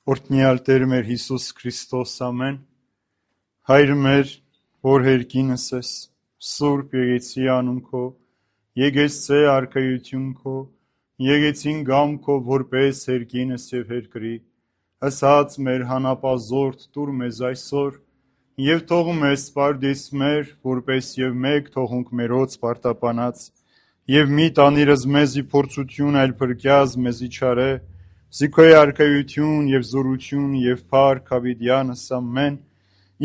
Օրհնյալ Տեր մեր Հիսուս Քրիստոս ամեն, Հայր մեր, որ հերկինս ես, Սուրբ եկեցի անուն քո, եկեցե արքայություն քո, եկեցին գամ քո, որպես հերկինս և հերկրի, ասած մեր հանապազորդ տուր մեզ այսօր, և թող մեզ սպարդիս մեր, որպես և մեկ թողունք մերոց պարտապանած, և մի տանիրս մեզի փորձություն, այլ փրկյազ մեզի չարե, Զիքոյ արքայություն և զորություն և փառք հավիտյանս ամեն,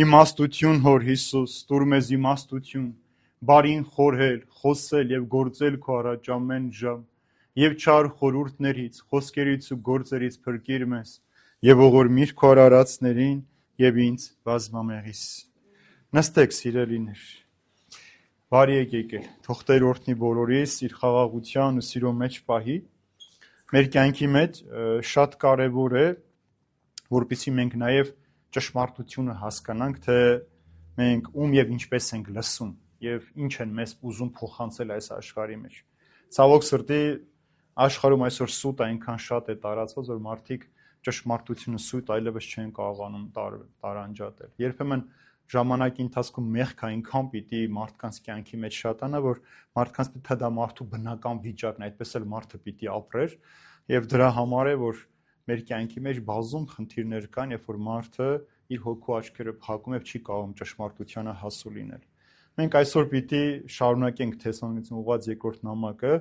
իմաստություն հոր Հիսուս, տուր մեզ իմաստություն, բարին խորհել, խոսել և գործել քո առաջ ամեն ժամ, և չար խորհուրդներից, խոսքերից ու գործերից փրկիր մեզ, և ողորմիր քո արարածներին և ինձ բազմամեղիս։ Նստեք սիրելիներ, բարի եք եկել, թող Տեր օրհնի բոլորիս իր խաղաղության ու սիրո մեջ պահի։ Մեր կյանքի մեջ շատ կարևոր է, որպեսզի մենք նաև ճշմարտությունը հասկանանք, թե մենք ում և ինչպես ենք լսում և ինչ են մեզ ուզում փոխանցել այս աշխարհի մեջ։ Ցավոք սրտի աշխարհում այսօր սուտ այնքան շատ է տարածված, որ մարդիկ ճշմարտությունը սուտ այլևս չեն կարողանում տարանջատել։ Երբեմն ժամանակի ընթացքում մեղքը այնքան պիտի մարդկանց կյանքի մեջ շատանա, որ մարդկանց թե դա մարդու բնական վիճակն է, այդպես էլ մարդը պիտի ապրեր, եւ դրա համար է, որ մեր կյանքի մեջ բազում խնդիրներ կան, երբ որ մարդը իր հոգու աչքերը փակում եւ չի կարողում ճշմարտությանը հասու լինել։ Մենք այսօր պիտի շարունակենք Թեսաղոնիկեցին ուղղված երկրորդ նամակը,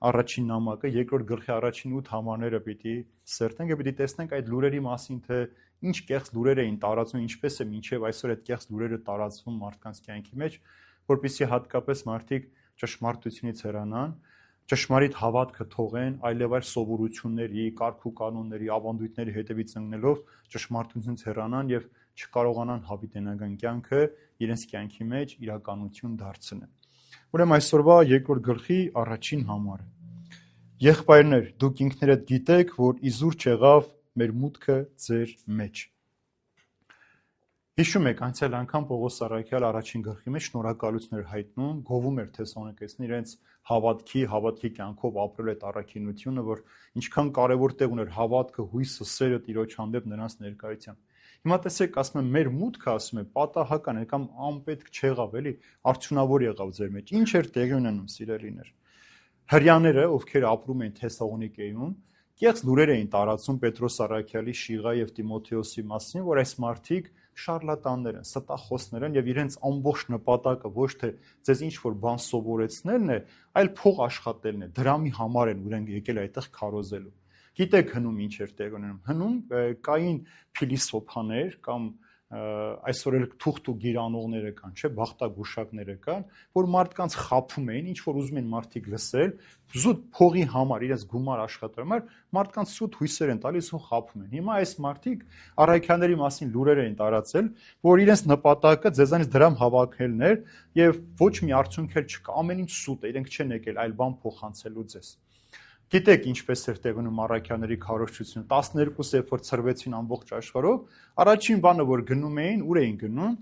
առաջին նամակը, երկրորդ գլխի առաջին 8 համարները պիտի սերտենք եւ պիտի տեսնենք այդ լուրերի մասին, թե ինչ կեղծ լուրեր էին տարածվում, ինչպես է մինչեւ այսօր այդ կեղծ լուրերը տարածվում մարդկանց կյանքի մեջ, որpիսի հատկապես մարդիկ ճշմարտությունից հեռանան, ճշմարիտ հավատքը թողեն, այլևայր սովորությունների, կարգ ու կանոնների, ավանդույթների հետևից ընկնելով ճշմարտությունից հեռանան եւ չկարողանան հավիտենական կյանքը իրենց կյանքի մեջ իրականություն դարձնել։ Ուրեմն այսօրվա երկրորդ գլխի առաջին համարը։ Եղբայրներ, դուք ինքներդ գիտեք, որ իզուր չեղավ մեր մուտքը ձեր մեջ։ Հիշում եք, անցյալ անգամ Պողոս առաքյալ առաջին գլխի մեջ շնորհակալություն էր հայտնում, գովում էր Թեսաղոնիկեցին իրենց հավատքի կյանքով ապրել այդ առաքինությունը, որ ինչքան կարևոր տեղ ուներ հավատքը, հույսը, սերը Տիրոջ հանդեպ նրանց ներկայությամբ։ Հիմա տեսեք, ասում եմ, մեր մուտքը, ասում է, պատահական է կամ անպետք չեղավ, էլի, արդյունավոր եղավ ձեր մեջ։ Ինչ էր տեղի ունենում, սիրելիներ։ Հրյաները, ովքեր ապրում էին Թեսաղոնիկեում, կեղծ լուրեր էին տարածում Պետրոս առաքյալի, Շիղա եւ Տիմոթեոսի մասին, որ այս մարդիկ շարլատաններ են, ստախոսներ են եւ իրենց ամբողջ նպատակը ոչ թե ձեզ ինչ որ բան սովորեցնելն է, այլ փող աշխատելն է։ Դրամի համար են ուրենք եկել այդտեղ քարոզելու։ Գիտեք հնում ինչ էր տեղ ունենում։ Հնում կային փիլիսոփաներ կամ այսօր էլ թուղթ ու գիրանողները կան, չէ, բախտագուշակները կան, որ մարդկանց խափում էին, ինչ որ ուզում են մարդիկ լսել, զուտ փողի համար, իրենց գումար աշխատելու համար, մարդկանց սուտ հույսեր են տալիս ու խափում են։ Հիմա այս մարդիկ առաքյաների մասին լուրեր էին տարածել, որ իրենց նպատակը ձեզանից դրամ հավաքելն էր եւ ոչ մի արդյունք էլ չկա, ամեն ինչ սուտ է, իրենք չեն եկել այլ բան փոխանցելու ձեզ։ Գիտեք ինչպես էր տեղ ունում առաքյաների քարոզչությունը, 12-ը երբ որ ցրվեցին ամբողջ աշխարհով, առաջին բանը որ գնում էին, ուր էին գնում,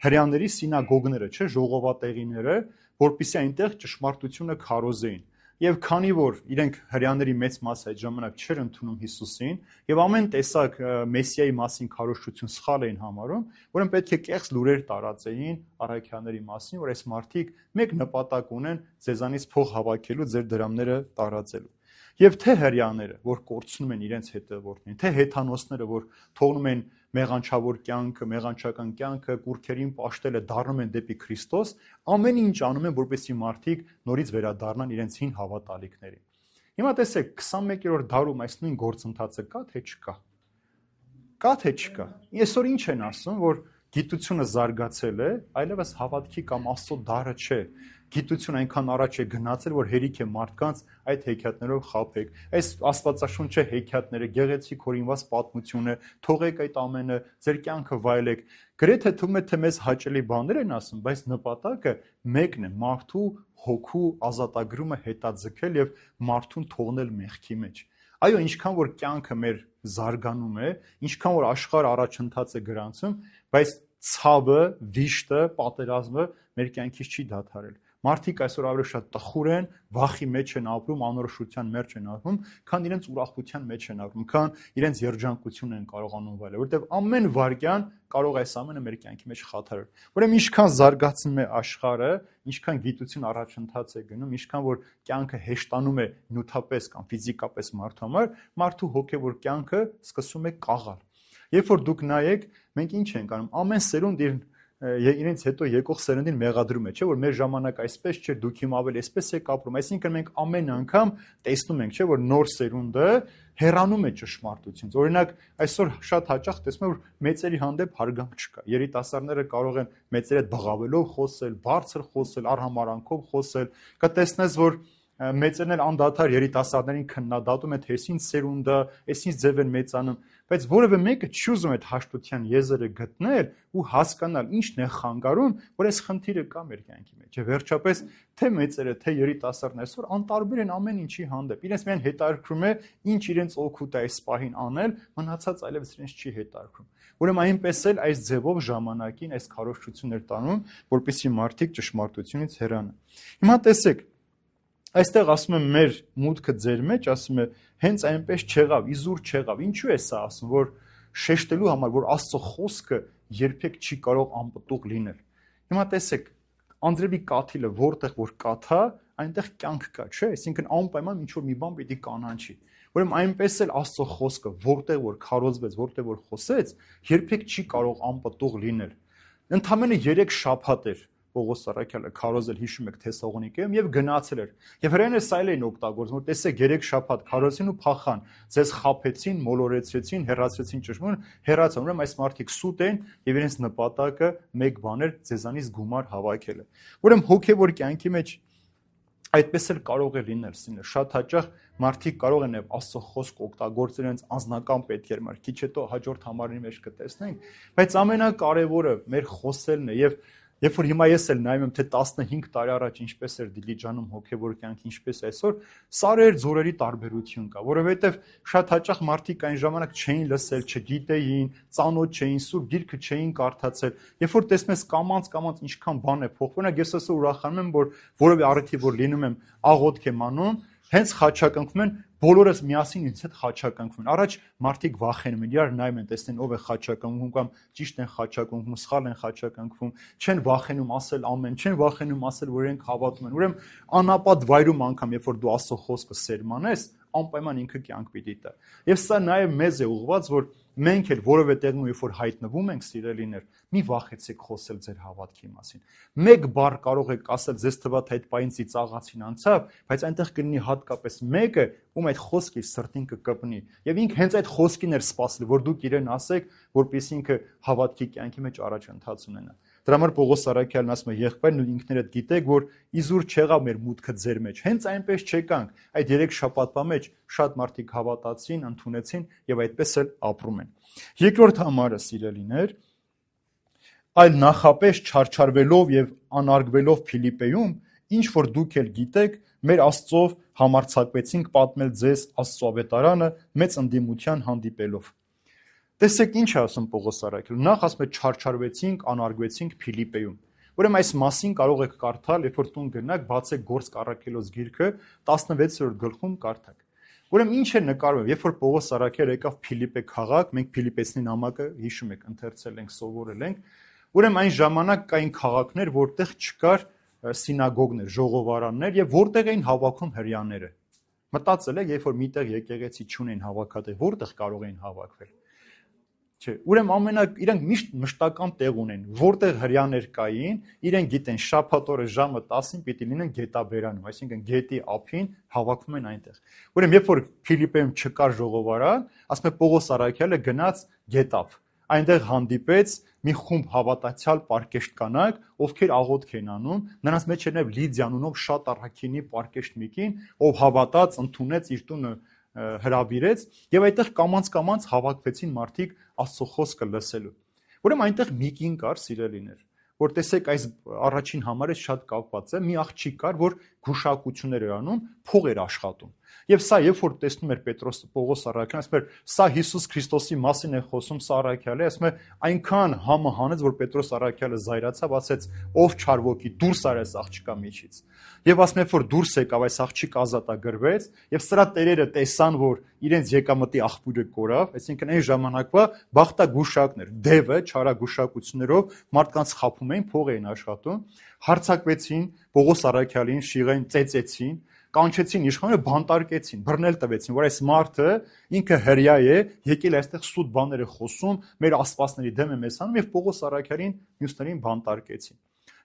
հրյաների սինագոգները, չէ, ժողովատեղիները, որպեսզի այնտեղ ճշմարտությունը քարոզեին։ Եվ քանի որ իրենք հրյաների մեծ մասը այդ ժամանակ չէր ընդունում Հիսուսին եւ ամեն տեսակ Մեսիայի մասին քարոզչություն սխալ էին համարում, որոնք պետք է կեղծ լուրեր տարածեին առաքյաների մասին, որ այս մարդիկ մեկ նպատակ ունեն ձեզանից փող հավաքելու, ձեր դրամները տարածելու։ Եվ թե հրյաները, որ կորցնում են իրենց հետևորդներին, թե հեթանոսները, որ թողնում են մեղանչավոր կյանքը, մեղանչական կյանքը, կուրքերին պաշտելը դառնում են դեպի Քրիստոս, ամեն ինչ անում են, որպեսզի մարդիկ նորից վերադառնան իրենց հին հավատալիքներին։ Հիմա տեսեք, 21-րդ դարում այս նույն գործընթացը կա թե չկա։ Կա թե չկա։ Այսօր ինչ են ասում, որ գիտությունը զարգացել է, այլևս հավատքի կամ Աստծո դարը չէ։ Գիտությունը այնքան առաջ է գնացել, որ հերիք է մարդկանց այդ հեքիաթներով խաբեք։ Այս աստվածաշունչը հեքիաթները, գեղեցիկ հորինված պատմությունը, թողեք այդ ամենը, ձեր կյանքը վայելեք։ Գրեթե թվում է, թե մեզ հաճելի բաներ են ասում, բայց նպատակը մեկն է՝ մարդու հոգու ազատագրումը հետաձգել եւ մարդուն թողնել մեղքի մեջ։ Այո, ինչքան որ կյանքը մեր զարգանում է, ինչքան որ աշխարհը առաջընթաց է գրանցում, բայց ցավը, վիշտը, պատերազմը մեր կյանքից չի դադարել։ Մարդիկ այսօր ավելի շատ տխուր են, վախի մեջ են ապրում, անորոշության մեջ են ապրում, քան իրենց ուրախության մեջ են ապրում, քան իրենց երջանկություն են կարողանում վայելել, որովհետև ամեն վայրկյան կարող է այս ամենը մեր կյանքի մեջ խաթարել։ Ուրեմն ինչքան զարգացնում է աշխարհը, ինչքան գիտություն առաջընթաց է գնում, ինչքան որ կյանքը հեշտանում է նյութապես կամ ֆիզիկապես մարդու համար, մարդու հոգևոր կյանքը սկսում է կաղալ։ Երբ որ դուք նայեք, մենք ինչ ենք անում, ամեն սերունդ իրենց հետո եկող սերնդին մեղադրում է, չէ՞ որ մեր ժամանակ այսպես չէր, դուք հիմա ավելի այսպես եք ապրում, այսինքն մենք ամեն անգամ տեսնում ենք, չէ՞ որ նոր սերունդը հեռանում է ճշմարտությունից։ Օրինակ, այսօր շատ հաճախ տեսնում եմ, որ մեծերի հանդեպ հարգանք չկա։ Երիտասարդները կարող են մեծերի հետ բղավելով խոսել, բարձր խոսել, արհամարանքով խոսել, կտեսնես, որ մեծերն էլ անդադար երիտասարդներին քննադատում են, թե այսինչ սերունդը, այսինչ ձև են մեծանում, բայց որևէ մեկը չի ուզում այդ հաշտության եզրը գտնել ու հասկանալ ինչն է խանգարում, որ այս խնդիրը կա մեր կյանքի մեջ։ Եվ վերջապես թե մեծերը, թե երիտասարդները այսօր անտարբեր են ամեն ինչի հանդեպ։ Իրենց միայն հետաքրքրում է ինչ իրենց օգուտ է այս պահին անել, մնացած այլևս իրենց չի հետաքրքրում։ Ուրեմն այնպես էլ այս ձևով ժամանակին այս քարոզչություններ տանում, որպեսզի մարդիկ ճշմարտությունից հեռանան։ Հիմա տեսեք, այստեղ ասում եմ մեր մուտքը ձեր մեջ, ասում է հենց այնպես չեղավ, իզուր չեղավ։ Ինչու է սա ասում, որ շեշտելու համար, որ Աստծո խոսքը երբեք չի կարող անպտուղ լինել։ Հիմա տեսեք, անձրևի կաթիլը որտեղ որ կաթա, այնտեղ կյանք կա, չէ՞, այսինքն անպայման ինչ որ մի բան պիտի կանանչի։ Ուրեմն այնպես էլ Աստծո խոսքը որտեղ որ քարոզվեց, որտեղ որ խոսեց, երբեք չի կարող անպտուղ լինել։ Ընդամենը 3 շաբաթ էր Պողոս Առաքյալը քարոզել, հիշում եք Թեսաղոնիկեում, եւ գնացել էր։ Եվ հրեաները սա էլ էին օգտագործում, որ տեսեք 3 շաբաթ քարոզեցին ու փախան, ձեզ խաբեցին, մոլորեցրեցին, հեռացրեցին ճշմարություն, հեռացան։ Ուրեմն այս մարդիկ սուտ են եւ իրենց նպատակը մեկ բան էր՝ ձեզանից գումար հավաքելը։ Ուրեմն հոգեվոր կյանքի մեջ այդպես էլ կարող է լինել, սինը շատ հաճախ մարդիկ կարող են Աստծո խոսք օգտագործել իրենց անձնական պետքերի համար, քիչ հետո հաջորդ համարի մեջ կտեսնենք, բայց ամենակարևորը մեր խոսելն է եւ երբ որ հիմա ես էլ նայում եմ, թե 15 տարի առաջ ինչպես էր Դիլիջանում հոգևոր կյանք, ինչպես այսօր, սարեր ձորերի տարբերություն կա, որովհետև շատ հաճախ մարդիկ այն ժամանակ չէին լսել, չգիտեին, ծանոթ չէին, Սուրբ Գիրքը չէին կարդացել։ Երբ որ տեսնում ես կամած ինչքան բան է փոխվում, օրինակ ես այսօր ուրախանում եմ, որ որևէ առիթի որ լինում եմ, աղոթք եմ անում, հենց խաչակնքվում են, բոլորս միասին ինձ հետ խաչակնքվում են։ Առաջ մարդիկ վախենում են, իրար նայում են, տեսնեն ով է խաչակնքվում կամ ճիշտ են խաչակնքվում, սխալ են խաչակնքվում, չեն վախենում ասել ամեն, չեն վախենում ասել, որ իրենք հավատում են։ Ուրեմն անապատ վայրում անգամ, երբ որ դու Աստծո խոսքը սերմանես, անպայման ինքը կյանք պիտի տա։ Եվ սա նաև մեզ է ուղղված, որ մենք էլ որևէ տեղում երբ որ հայտնվում ենք, սիրելիներ, մի վախեցեք խոսել ձեր հավատքի մասին։ Մեկ բառ կարող եք ասել, ձեզ թվա թե այդ պահին ծիծաղացին անցավ, բայց այնտեղ կլինի հատկապես մեկը, ում այդ խոսքը սրտին կկպնի։ Եվ ինքը հենց այդ խոսքին էր սպասել, որ դուք իրեն ասեք, որպեսզի ինքը հավատքի կյանքի մեջ առաջընթաց ունենա։ Դրա համար Պողոս Առաքյալն ասում է, եղբայրն ու ինքներդ գիտեք, որ իզուր չեղավ մեր մուտքը ձեր մեջ։ Հենց այնպես չեկանք։ Այդ 3 շաբաթվա մեջ շատ մարդիկ հավատացին, ընդունեցին եւ այդպես էլ ապրում են։ Երկրորդ համարը, սիրելիներ, այլ նախապես չարչարվելով եւ անարգվելով Փիլիպպեում, ինչ որ դուք էլ գիտեք, մեր Աստծով համարձակվեցինք պատմել ձեզ Աստծո ավետարանը մեծ ընդդիմության հանդիպելով։ Տեսեք ինչ է ասում Պողոս Առաքյալը։ Նախ ասում է չարչարվեցինք, անարգվեցինք Փիլիպպեում։ Ուրեմն այս մասին կարող եք կարդալ, երբ որ տուն գնաք, բացեք Գործք առաքելոց գիրքը 16-րդ գլխում կարդաք։ Ուրեմն ինչ է նկարվում, երբ որ Պողոս Առաքյալը եկավ Փիլիպպե քաղաք, մենք Փիլիպպեցնի նամակը հիշում եք, ընթերցել ենք, սովորել ենք, ուրեմն այն ժամանակ կային քաղաքներ, որտեղ չկար սինագոգներ, ժողովարաններ եւ որտեղ էին հավաքում հրեաները։ Մտածել եք, երբ որ միտեղ եկեղեցի չունեն հավաքատեղ, որտեղ կարող էին հավաքվել։ Չէ, ուրեմն իրանք միշտ մշտական տեղ ունեն, որտեղ հրեաներ կային, իրենք գիտեն շաբաթ օրը ժամը 10-ին պիտի լինեն գետաբերանում, այսինքն գետի ափին հավաքվում են այնտեղ։ Ուրեմն երբ որ Փիլիպպեում չկար ժողովարան, ասում է Պողոս Առաքյալը գնաց գետափ, այնտեղ հանդիպեց մի խումբ հավատացյալ պարկեշտ կանայք, ովքեր աղոթք են անում, նրանց մեջ էր նաև Լիդիա անունով շատ առաքինի պարկեշտ մեկին, ով հավատաց, ընդունեց իր տունը հրավիրեց եւ այդտեղ կամած հավաքվեցին մարդիկ Աստծո խոսքը լսելու։ Ուրեմն այնտեղ մի կին կար, սիրելիներ, որ տեսեք այս առաջին համարը շատ կապված է, մի աղջիկ կար, որ գուշակություններ էր անում, փող էր աշխատում։ Եվ սա երբ որ տեսնում էր Պետրոս Պողոս առաքյալը, ասում էր, սա Հիսուս Քրիստոսի մասին է խոսում, սա առաքյալը, ասում է, այնքան համը հանեց, որ Պետրոս առաքյալը զայրացավ, ասեց, ով չար ոգի, դուրս արի այս աղջկա միջից։ Եվ ասում էր, որ դուրս եկավ, այս աղջիկ ազատագրվեց, եւ սրա տերերը տեսան, որ իրենց եկամտի աղբյուրը կորավ, այսինքն այն ժամանակվա բախտագուշակներ, դևը չարագուշակություններով մարդկանց խափում էին, փող էին աշխատում, հարձակվեցին Պողոս առաքյալին, շիղային ծեծեցին, կանչեցին իշխանները, բանտարկեցին, բռնել տվեցին, որ այս մարդը ինքը հրյա է, եկել այստեղ սուտ բաներ է խոսում, մեր աստվածների դեմ է մեզ անում, եւ Պողոս առաքյալին մյուսներին բանտարկեցին։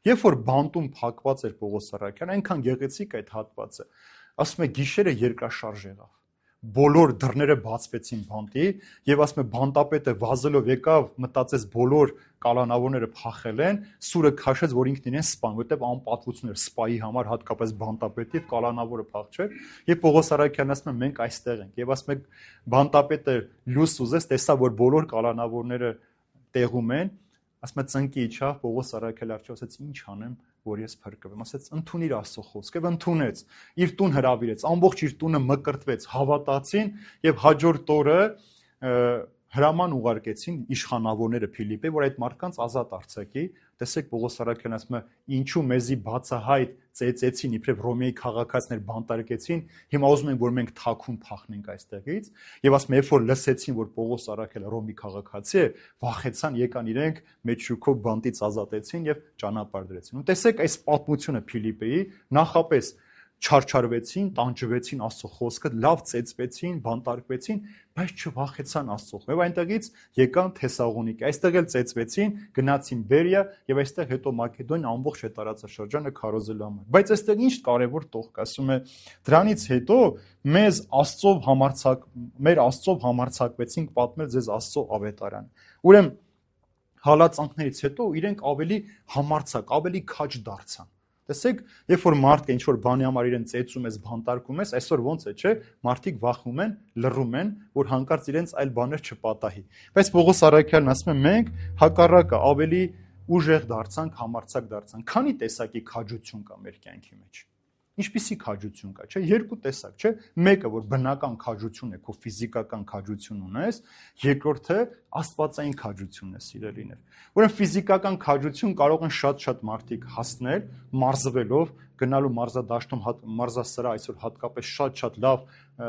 Երբ որ բանտում փակված էր Պողոս առաքյալը, այնքան գեղեցիկ այդ հատվածը, ասում է գիշերը երկրաշարժ եղավ։ Բոլոր դռները բացվեցին բանտի եւ ասում է բանտապետը վազելով եկավ, մտածեց բոլոր կալանավորները փախել են, սուրը քաշեց, որ ինքն իրեն սպան, որտեվ անպատվություն էր սպայի համար, հատկապես բանտապետի եւ կալանավորը փախչեր, եւ Պողոս առաքյալն ասում է մենք այստեղ ենք եւ ասում է բանտապետը լույս ուզեց, տեսա որ բոլոր կալանավորները տեղում են, ասում է ծնկի իջավ, Պողոս առաքյալը արդյոք ասեց ինչ անեմ, որ ես փրկվեմ, ասեց ընդունիր Աստծո խոսքը, եւ ընդունեց, իր տուն հրավիրեց, ամբողջ իր տունը մկրտվեց, հավատացին եւ հաջորդ օրը հրաման ուղարկեցին իշխանավորները Փիլիպպե, որ այդ մարդկանց ազատ արձակի։ Տեսեք Պողոս առաքյալն ասում է, ինչու մեզի բացահայտ ծեծեցին, իբրև Ռոմեի քաղաքացիներ բանտարկեցին, հիմա ուզում են, որ մենք թաքուն փախնենք այստեղից, եւ ասում է, երբ որ լսեցին, որ Պողոս առաքյալը Ռոմի քաղաքացի է, վախեցան, եկան իրենք մեծ շուկով բանտից ազատեցին եւ ճանապարհ դրեցին։ Ու տեսեք այս պատմությունը Փիլիպպեի նախապես չարչարվեցին, տանջվեցին Աստծո խոսքը, լավ ծեծվեցին, բանտարկվեցին, բայց չվախեցան Աստծո։ Եվ այնտեղից եկան Թեսաղոնիկի, այստեղ էլ ծեծվեցին, գնացին Բերիա եւ այստեղ հետո Մակեդոնիա ամբողջ այդ տարածաշրջանը քարոզելու համար։ Բայց այստեղ ինչ կարևոր տող կա, ասում է, դրանից հետո մեր Աստծով համարձակվեցինք պատմել ձեզ Աստծո ավետարան։ Ուրեմն հալածանքներից հետո իրենք ավելի համարձակ, ավելի քաջ դարձան։ Տեսեք, երբ որ մարդը ինչ որ բանի համար իրեն ծեծում ես, բանտարկում ես, այսօր ոնց է, չէ՞, մարդիկ վախում են, լռում են, որ հանկարծ իրենց այլ բաներ չպատահի։ Բայց Պողոս առաքյալն ասում է, մենք հակառակը ավելի ուժեղ դարձանք, համարձակ դարձանք։ Քանի տեսակի քաջություն կա մեր կյանքի մեջ։ Ինչպիսի քաջություն կա, չէ՞, երկու տեսակ, չէ՞, մեկը որ բնական քաջություն է, քո ֆիզիկական քաջություն ունես, երկրորդը աստվածային քաջությունն է, սիրելիներ։ Ուրեմն ֆիզիկական քաջություն կարող են շատ-շատ մարդիկ հասնել, մարզվելով, գնալու մարզադաշտում, մարզասրա այսօր հատկապես շատ-շատ լավ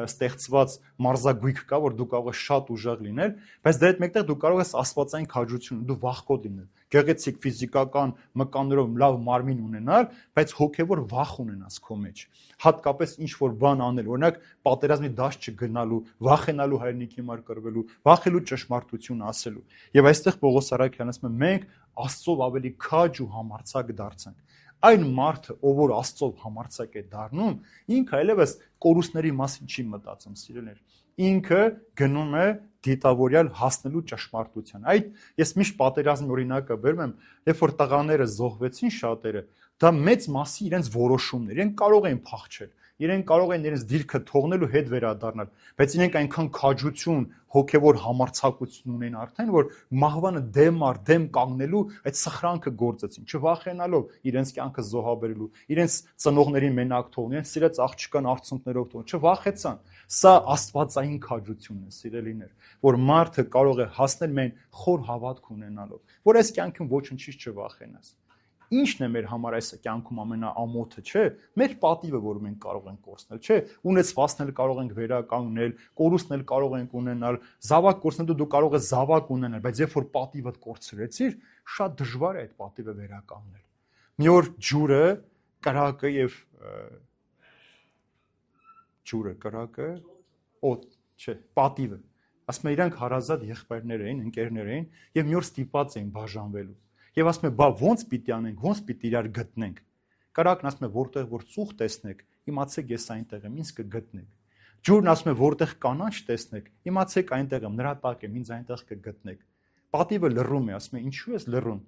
ստեղծված մարզագույք կա, որ դու կարող ես շատ ուժեղ լինել, բայց դրա հետ մեկտեղ դու կարող ես աստվածային քաջություն, դու վախկոտ լինել, գեղեցիկ ֆիզիկական մկաններով լավ մարմին ունենալ, բայց հոգևոր վախ ունենաս քո մեջ։ Հատկապես ինչ որ բան անել, օրինակ պատերազմի դաշտ չգնալու, վախենալու հայրենիքի համար կռվելու, վախելու ճշմարտություն ասելու։ Եվ այստեղ Պողոս առաքյալն ասում է, մենք Աստծով ավելի քաջ ու համարձակ դարձանք։ Այն մարդը, ով որ Աստծով համարձակ է դառնում, ինքը այլևս կորուստների մասին չի մտածում, սիրելիներ։ Ինքը գնում է դիտավորյալ հասնելու ճշմարտության։ Այդ ես միշտ պատերազմի օրինակը բերում եմ, երբ որ տղաները զոհվեցին շատերը, դա մեծ մասի իրենց որոշումներ, իրենք կարող էին փախչել, իրենք կարող են իրենց դիրքը թողնել ու հետ վերադառնալ, բայց իրենք այնքան քաջություն, հոգևոր համարձակություն ունեն արդեն, որ մահվանը դեմ կանգնելու այդ սխրանքը գործեցին, չվախենալով իրենց կյանքը զոհաբերելու, իրենց ծնողներին մենակ թողնել, իրենց սիրած աղջկան արցունքներով թողնել, չվախեցան։ Սա աստվածային քաջությունն է, սիրելիներ, որ մարդը կարող է հասնել մեն խոր հավատք ունենալով, որ այս կյանքում ոչնչից չվախենաս։ Ինչն է մեր համար այս կյանքում ամենաամոթը, չէ՞։ Մեր պատիվը, որ մենք կարող ենք կորցնել, չէ՞։ Ունեցվածքնել կարող ենք վերականգնել, կորուստներ կարող ենք ունենալ, զավակ կորցնելու դու կարող ես զավակ ունենալ, բայց երբ որ պատիվդ կորցրեցիր, շատ դժվար է այդ պատիվը վերականգնել։ Մի օր կրակը, պատիվը, ասում է իրանք հարազատ եղբայրներ էին, ընկերներ էին, եւ մի օր ստիպված էին բաժանվելու։ Եվ ասում է, բա ոնց պիտի անենք, ոնց պիտի իրար գտնենք։ Կրակն ասում է, որտեղ որ ծուխ տեսնեք, իմացեք ես այնտեղ եմ, ինձ կգտնեք։ Ջուրն ասում է, որտեղ կանաչ տեսնեք, իմացեք այնտեղ եմ, նրա տակ եմ, ինձ այնտեղ կգտնեք։ Պատիվը լռում է, ասում է, ինչու ես լռում։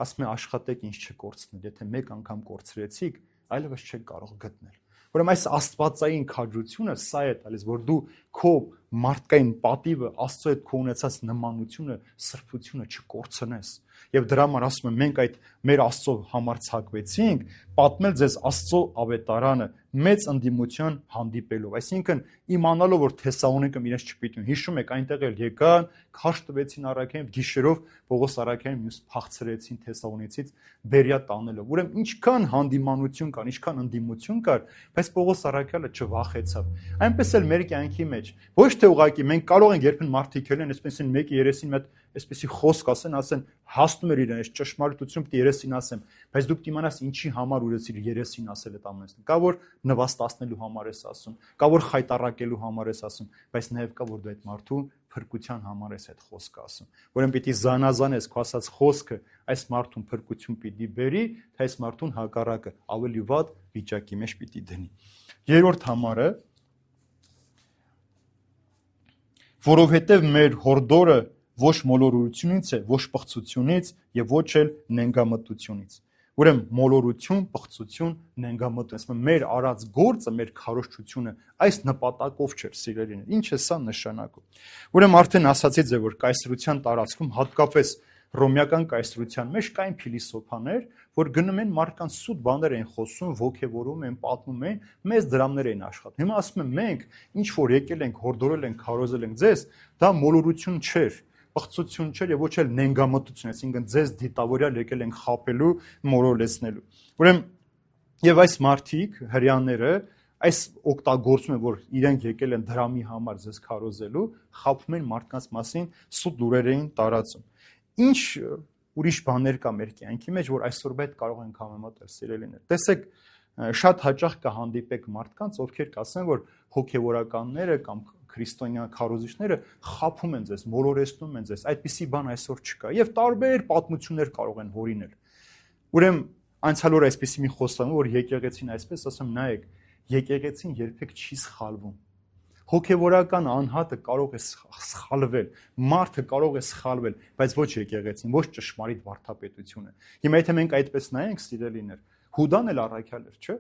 Ասում է, աշխատեք ինձ չկորցնել, եթե մեկ անգամ կորցրեցիք, այլևս չեք կարող գտնել։ Ուրեմն այս աստվածային քաջությունը սա է տալիս, որ դու քո մարդկային պատիվը, Աստծո հետ քո ունեցած նմանությունը, սրբությունը չկորցնես։ Եվ դրա համար ասում եմ, մենք այդ մեր Աստծո համար ցակվեցինք, պատմել ձեզ Աստծո ավետարանը մեծ ընդդիմության հանդիպելով։ Այսինքն իմանալով, որ Թեսաղոնիկը իրենց չպիտուն։ Հիշում եք, այնտեղ էլ եկան, քաշ տվեցին Առաքյանին, գիշերով Պողոս Առաքյանին մյուս փախցրեցին Թեսաղոնիցից Բերիա տանելով։ Ուրեմն ինչքան հանդիմանություն կար, ինչքան ընդդիմություն կար, բայց Պողոս Առաքյալը չվախեցավ։ Այնպես էլ մեր կյանքի մեջ ոչ թե ուղղակի մենք կարող ենք երբեն մարդիկ ելեն, այսպես են մեկի երեսին մետ այսպեսի խոսք ասեն, հասնում էր իրեն, այս ճշմարտություն պիտի երեսին ասեմ, բայց դուք իմանաս ինչի համար ուրեցիր երեսին ասել այդ ամենը։ Կա որ նվաստացնելու համար ես ասում, կա որ խայտարակելու համար ես ասում, բայց նաև կա որ դու այդ մարդու փրկության համար ես այդ խոսքը ասում։ Ուրեմն պիտի զանազանես քո ասած խոսքը այս մարդուն փրկություն պիտի բերի, թե այս մարդուն հակառակը ավելի վատ վիճակի մեջ պիտի դնի։ Երրորդ համարը, որովհետև մեր հորդորը ոչ մոլորությունից է, ոչ պղծությունից եւ ոչ էլ նենգամտությունից։ Ուրեմն մոլորություն, պղծություն, նենգամտություն, մեր արած գործը, մեր քարոզչությունը այս նպատակով չէր, սիրելիներ։ Ինչ է սա նշանակում։ Ուրեմն արդեն ասացի ձեզ, որ կայսրության տարածքում հատկապես ռոմեական կայսրության մեջ կային փիլիսոփաներ, որ գնում են մարդկանց սուտ բաներ են խոսում, ոգևորում են, պատմում են, մեծ դրամներ են աշխատում։ Հիմա ասում եմ, մենք ինչ որ եկել ենք, հորդորել ենք, քարոզել ենք ձեզ, դա մոլորություն չէր, պղծություն չէր եւ ոչ էլ նենգամտություն, այսինքն ձեզ դիտավորյալ եկել ենք խապելու, մորոլեցնելու։ Ուրեմն եւ այս մարդիկ, հрьяաները, այս օգտագործում են, որ իրենք եկել են դրամի համար ձեզ քարոզելու, խապում են մարդկանց մասին սուտ լուրեր էին տարածում։ Ինչ ուրիշ բաներ կա մեր կյանքի մեջ, որ այսօր բեդ կարող ենք համեմատել, սիրելիներ։ Տեսեք, շատ հաճախ կհանդիպեք մարդկանց, ովքեր կասեն, որ հոգևորականները կամ քրիստոնյա քարոզիչները խափում են ձեզ, մոլորեցնում են ձեզ, այդպիսի բան այսօր չկա եւ տարբեր պատմություններ կարող են հորինել։ Ուրեմն անցյալ օրը այսպիսի մի խոստանում, որ եկեղեցին այսպես ասեմ, նայեք, եկեղեցին երբեք չի սխալվում։ Հոգևորական անհատը կարող է սխալվել, մարդը կարող է սխալվել, բայց ոչ եկեղեցին, ոչ ճշմարիտ վարդապետությունը։ Հիմա եթե մենք այդպես նայենք, սիրելիներ, Հուդան էլ առաքյալ էր, չէ՞։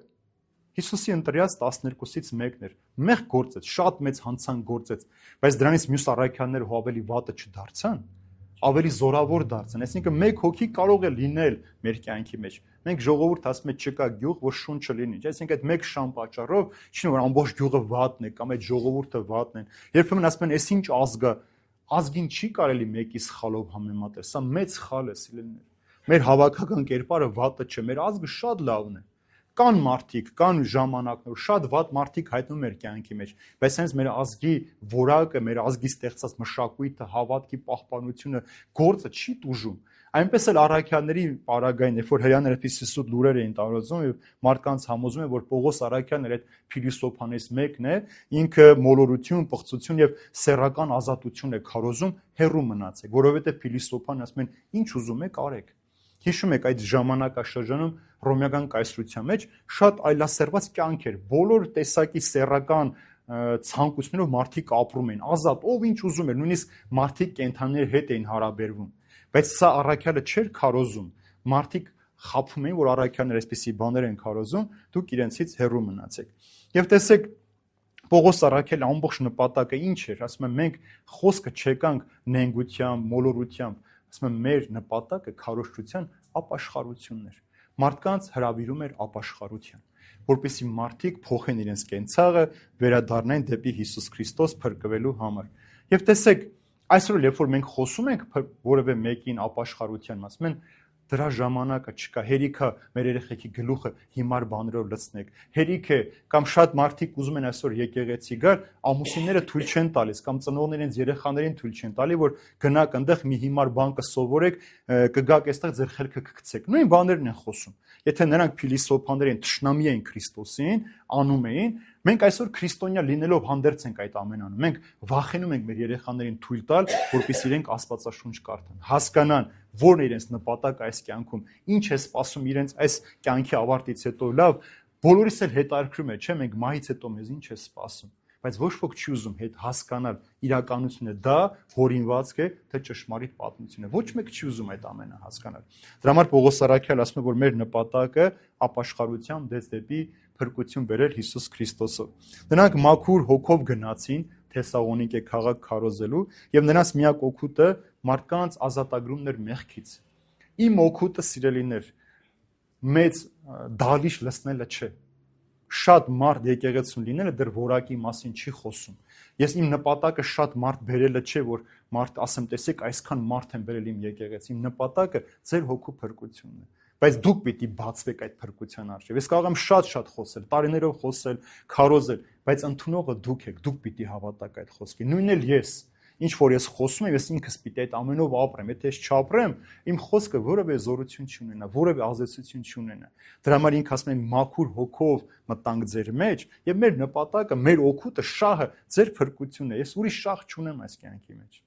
Հիսուսի ընտրյաց 12-ից մեկն էր, մեղ գործեց, շատ մեծ հանցանք գործեց, բայց դրանից մյուս առաքյալները հո ավելի վատը չդարձան, ավելի զորավոր դարձան։ Այսինքն մեկ հոգի կարող է լինել մեր կյանքի մեջ։ Մենք ժողովուրդ ասում ենք չկա գյուղ, որ շունչը լինի։ Այսինքն այդ մեկ շան պատճառով չի որ ամբողջ գյուղը վատն է կամ այդ ժողովուրդը վատն են։ Երբեմն ասում են, «Էս ինչ ազգ է»։ Ազգին չի կարելի մեկի սխալով համեմատել։ Սա մեծ սխալ է, սիրելիներ։ Մեր հավաքական կերպարը վատը չէ, մեր ազգը շատ լավն է։ Կան մարդիկ, կան ժամանակներ, շատ վատ մարդիկ հայտնվում մեր կյանքի մեջ, բայց հենց մեր ազգի որակը, մեր ազգի ստեղծած մշակույթը, հավատքի պահպանությունը, գործը չի տուժում։ Այնպես էլ առաքյալների պարագային, երբ որ հрьяաները այդպիսի սուտ լուրեր էին տարածում եւ մարդկանց համոզում են, որ Պողոս Առաքյալն էր այդ փիլիսոփաներից մեկն է, ինքը մոլորություն, պղծություն եւ սեռական ազատություն է քարոզում, հեռու մնացեք, որովհետեւ փիլիսոփան ասում են, ինչ ուզում եք արեք։ Հիշում եք այդ ժամանակաշրջանում ռոմեական կայսրության մեջ շատ այլասերված կյանք էր, բոլոր տեսակի սեռական ցանկություններով մարդիկ ապրում էին, ազատ, ով ինչ ուզում էր, նույնիսկ մարդիկ կենդանիների հետ էին հարաբերվում, բայց սա առաքյալը չէր քարոզում, մարդիկ խափում էին, որ առաքյալները այսպիսի բաներ են քարոզում, դուք իրենցից հեռու մնացեք։ Եվ տեսեք, Պողոս Առաքյալի ամբողջ նպատակը ինչ էր, ասում եմ, մենք խոսքը չեկանք նենգությամբ, մոլորությամբ, ասում եմ, մեր նպատակը քարոզչության ապաշխարությունն էր։ Մարդկանց հրավիրում էր ապաշխարության, որպեսզի մարդիկ փոխեն իրենց կենցաղը, վերադառնային դեպի Հիսուս Քրիստոս փրկվելու համար։ Եվ տեսեք, այսօր երբ որ մենք խոսում ենք որևէ մեկին ապաշխարության, ասում են, դրա ժամանակը չկա, հերիք է մեր երեխեքի գլուխը հիմար բաներով լցնեք, հերիք է, կամ շատ մարդիկ ուզում են այսօր եկեղեցի գալ, ամուսինները թույլ չեն տալիս, կամ ծնողներն իրենց երեխաներին թույլ չեն տալի, որ գնաք այնտեղ մի հիմար բան կսովորեք, կգաք այստեղ ձեր խելքը կգցեք։ Նույն բաներն են խոսում։ Եթե նրանք փիլիսոփաներ են, թշնամի են Քրիստոսին, անում էին, մենք այսօր քրիստոնյա լինելով հանդերձ ենք այդ ամեն անում։ Մենք վախենում ենք մեր երեխաներին թույլ տալ, որպեսզի իրենք Աստվածաշունչ կարդան, հասկանան, որն է իրենց նպատակը այս կյանքում, ինչ է սպասում իրենց այս կյանքի ավարտից հետո։ Լավ, բոլորիս էլ հետաքրքրում է, չէ՞, մենք մահից հետո մեզ ինչ է սպասում, բայց ոչ ոք չի ուզում հետ հասկանալ իրականությունը, դա հորինվածք է, թե ճշմարիտ պատմություն է։ Ոչ մեկ չի ուզում այդ ամենը հասկանալ։ Դրա համար Պողոս Առաքյալը ասում է, որ մեր նպատակը ապաշխարությամբ դեպի փրկություն բերել Հիսուս Քրիստոսով։ Նրանք մաքուր հոգով գնացին, Թեսաղոնիկե քաղաք քարոզելու եւ նրանց միակ օգուտը մարդկանց ազատագրումն էր մեղքից։ Իմ օգուտը, սիրելիներ, մեծ դալիճ լցնելը չէ։ Շատ մարդ եկեղեցուն լինելը դեռ որակի մասին չի խոսում։ Ես իմ նպատակը շատ մարդ բերելը չէ, որ մարդ ասեմ, տեսեք, այսքան մարդ են բերել իմ եկեղեցի։ Իմ նպատակը ձեր հոգու փրկությունն է։ Բայց դուք պիտի բացվեք այդ փրկության առջև։ Ես կարող եմ շատ խոսել, տարիներով խոսել, քարոզել, բայց ընդունողը դուք եք, դուք պիտի հավատաք այդ խոսքին։ Նույնն էլ ես, ինչ որ ես խոսում եմ, ես ինքս պիտի այդ ամենով ապրեմ։ Եթե ես չապրեմ, իմ խոսքը որևէ զորություն չունենա, որևէ ազդեցություն չունենա։ Դրա համար ինքը ասում է մաքուր հոգով մտանք ձեր մեջ, եւ մեր նպատակը, մեր օգուտը, շահը ձեր փրկությունն է։ Ես ուրիշ շահ չունեմ այս կյանքի մեջ։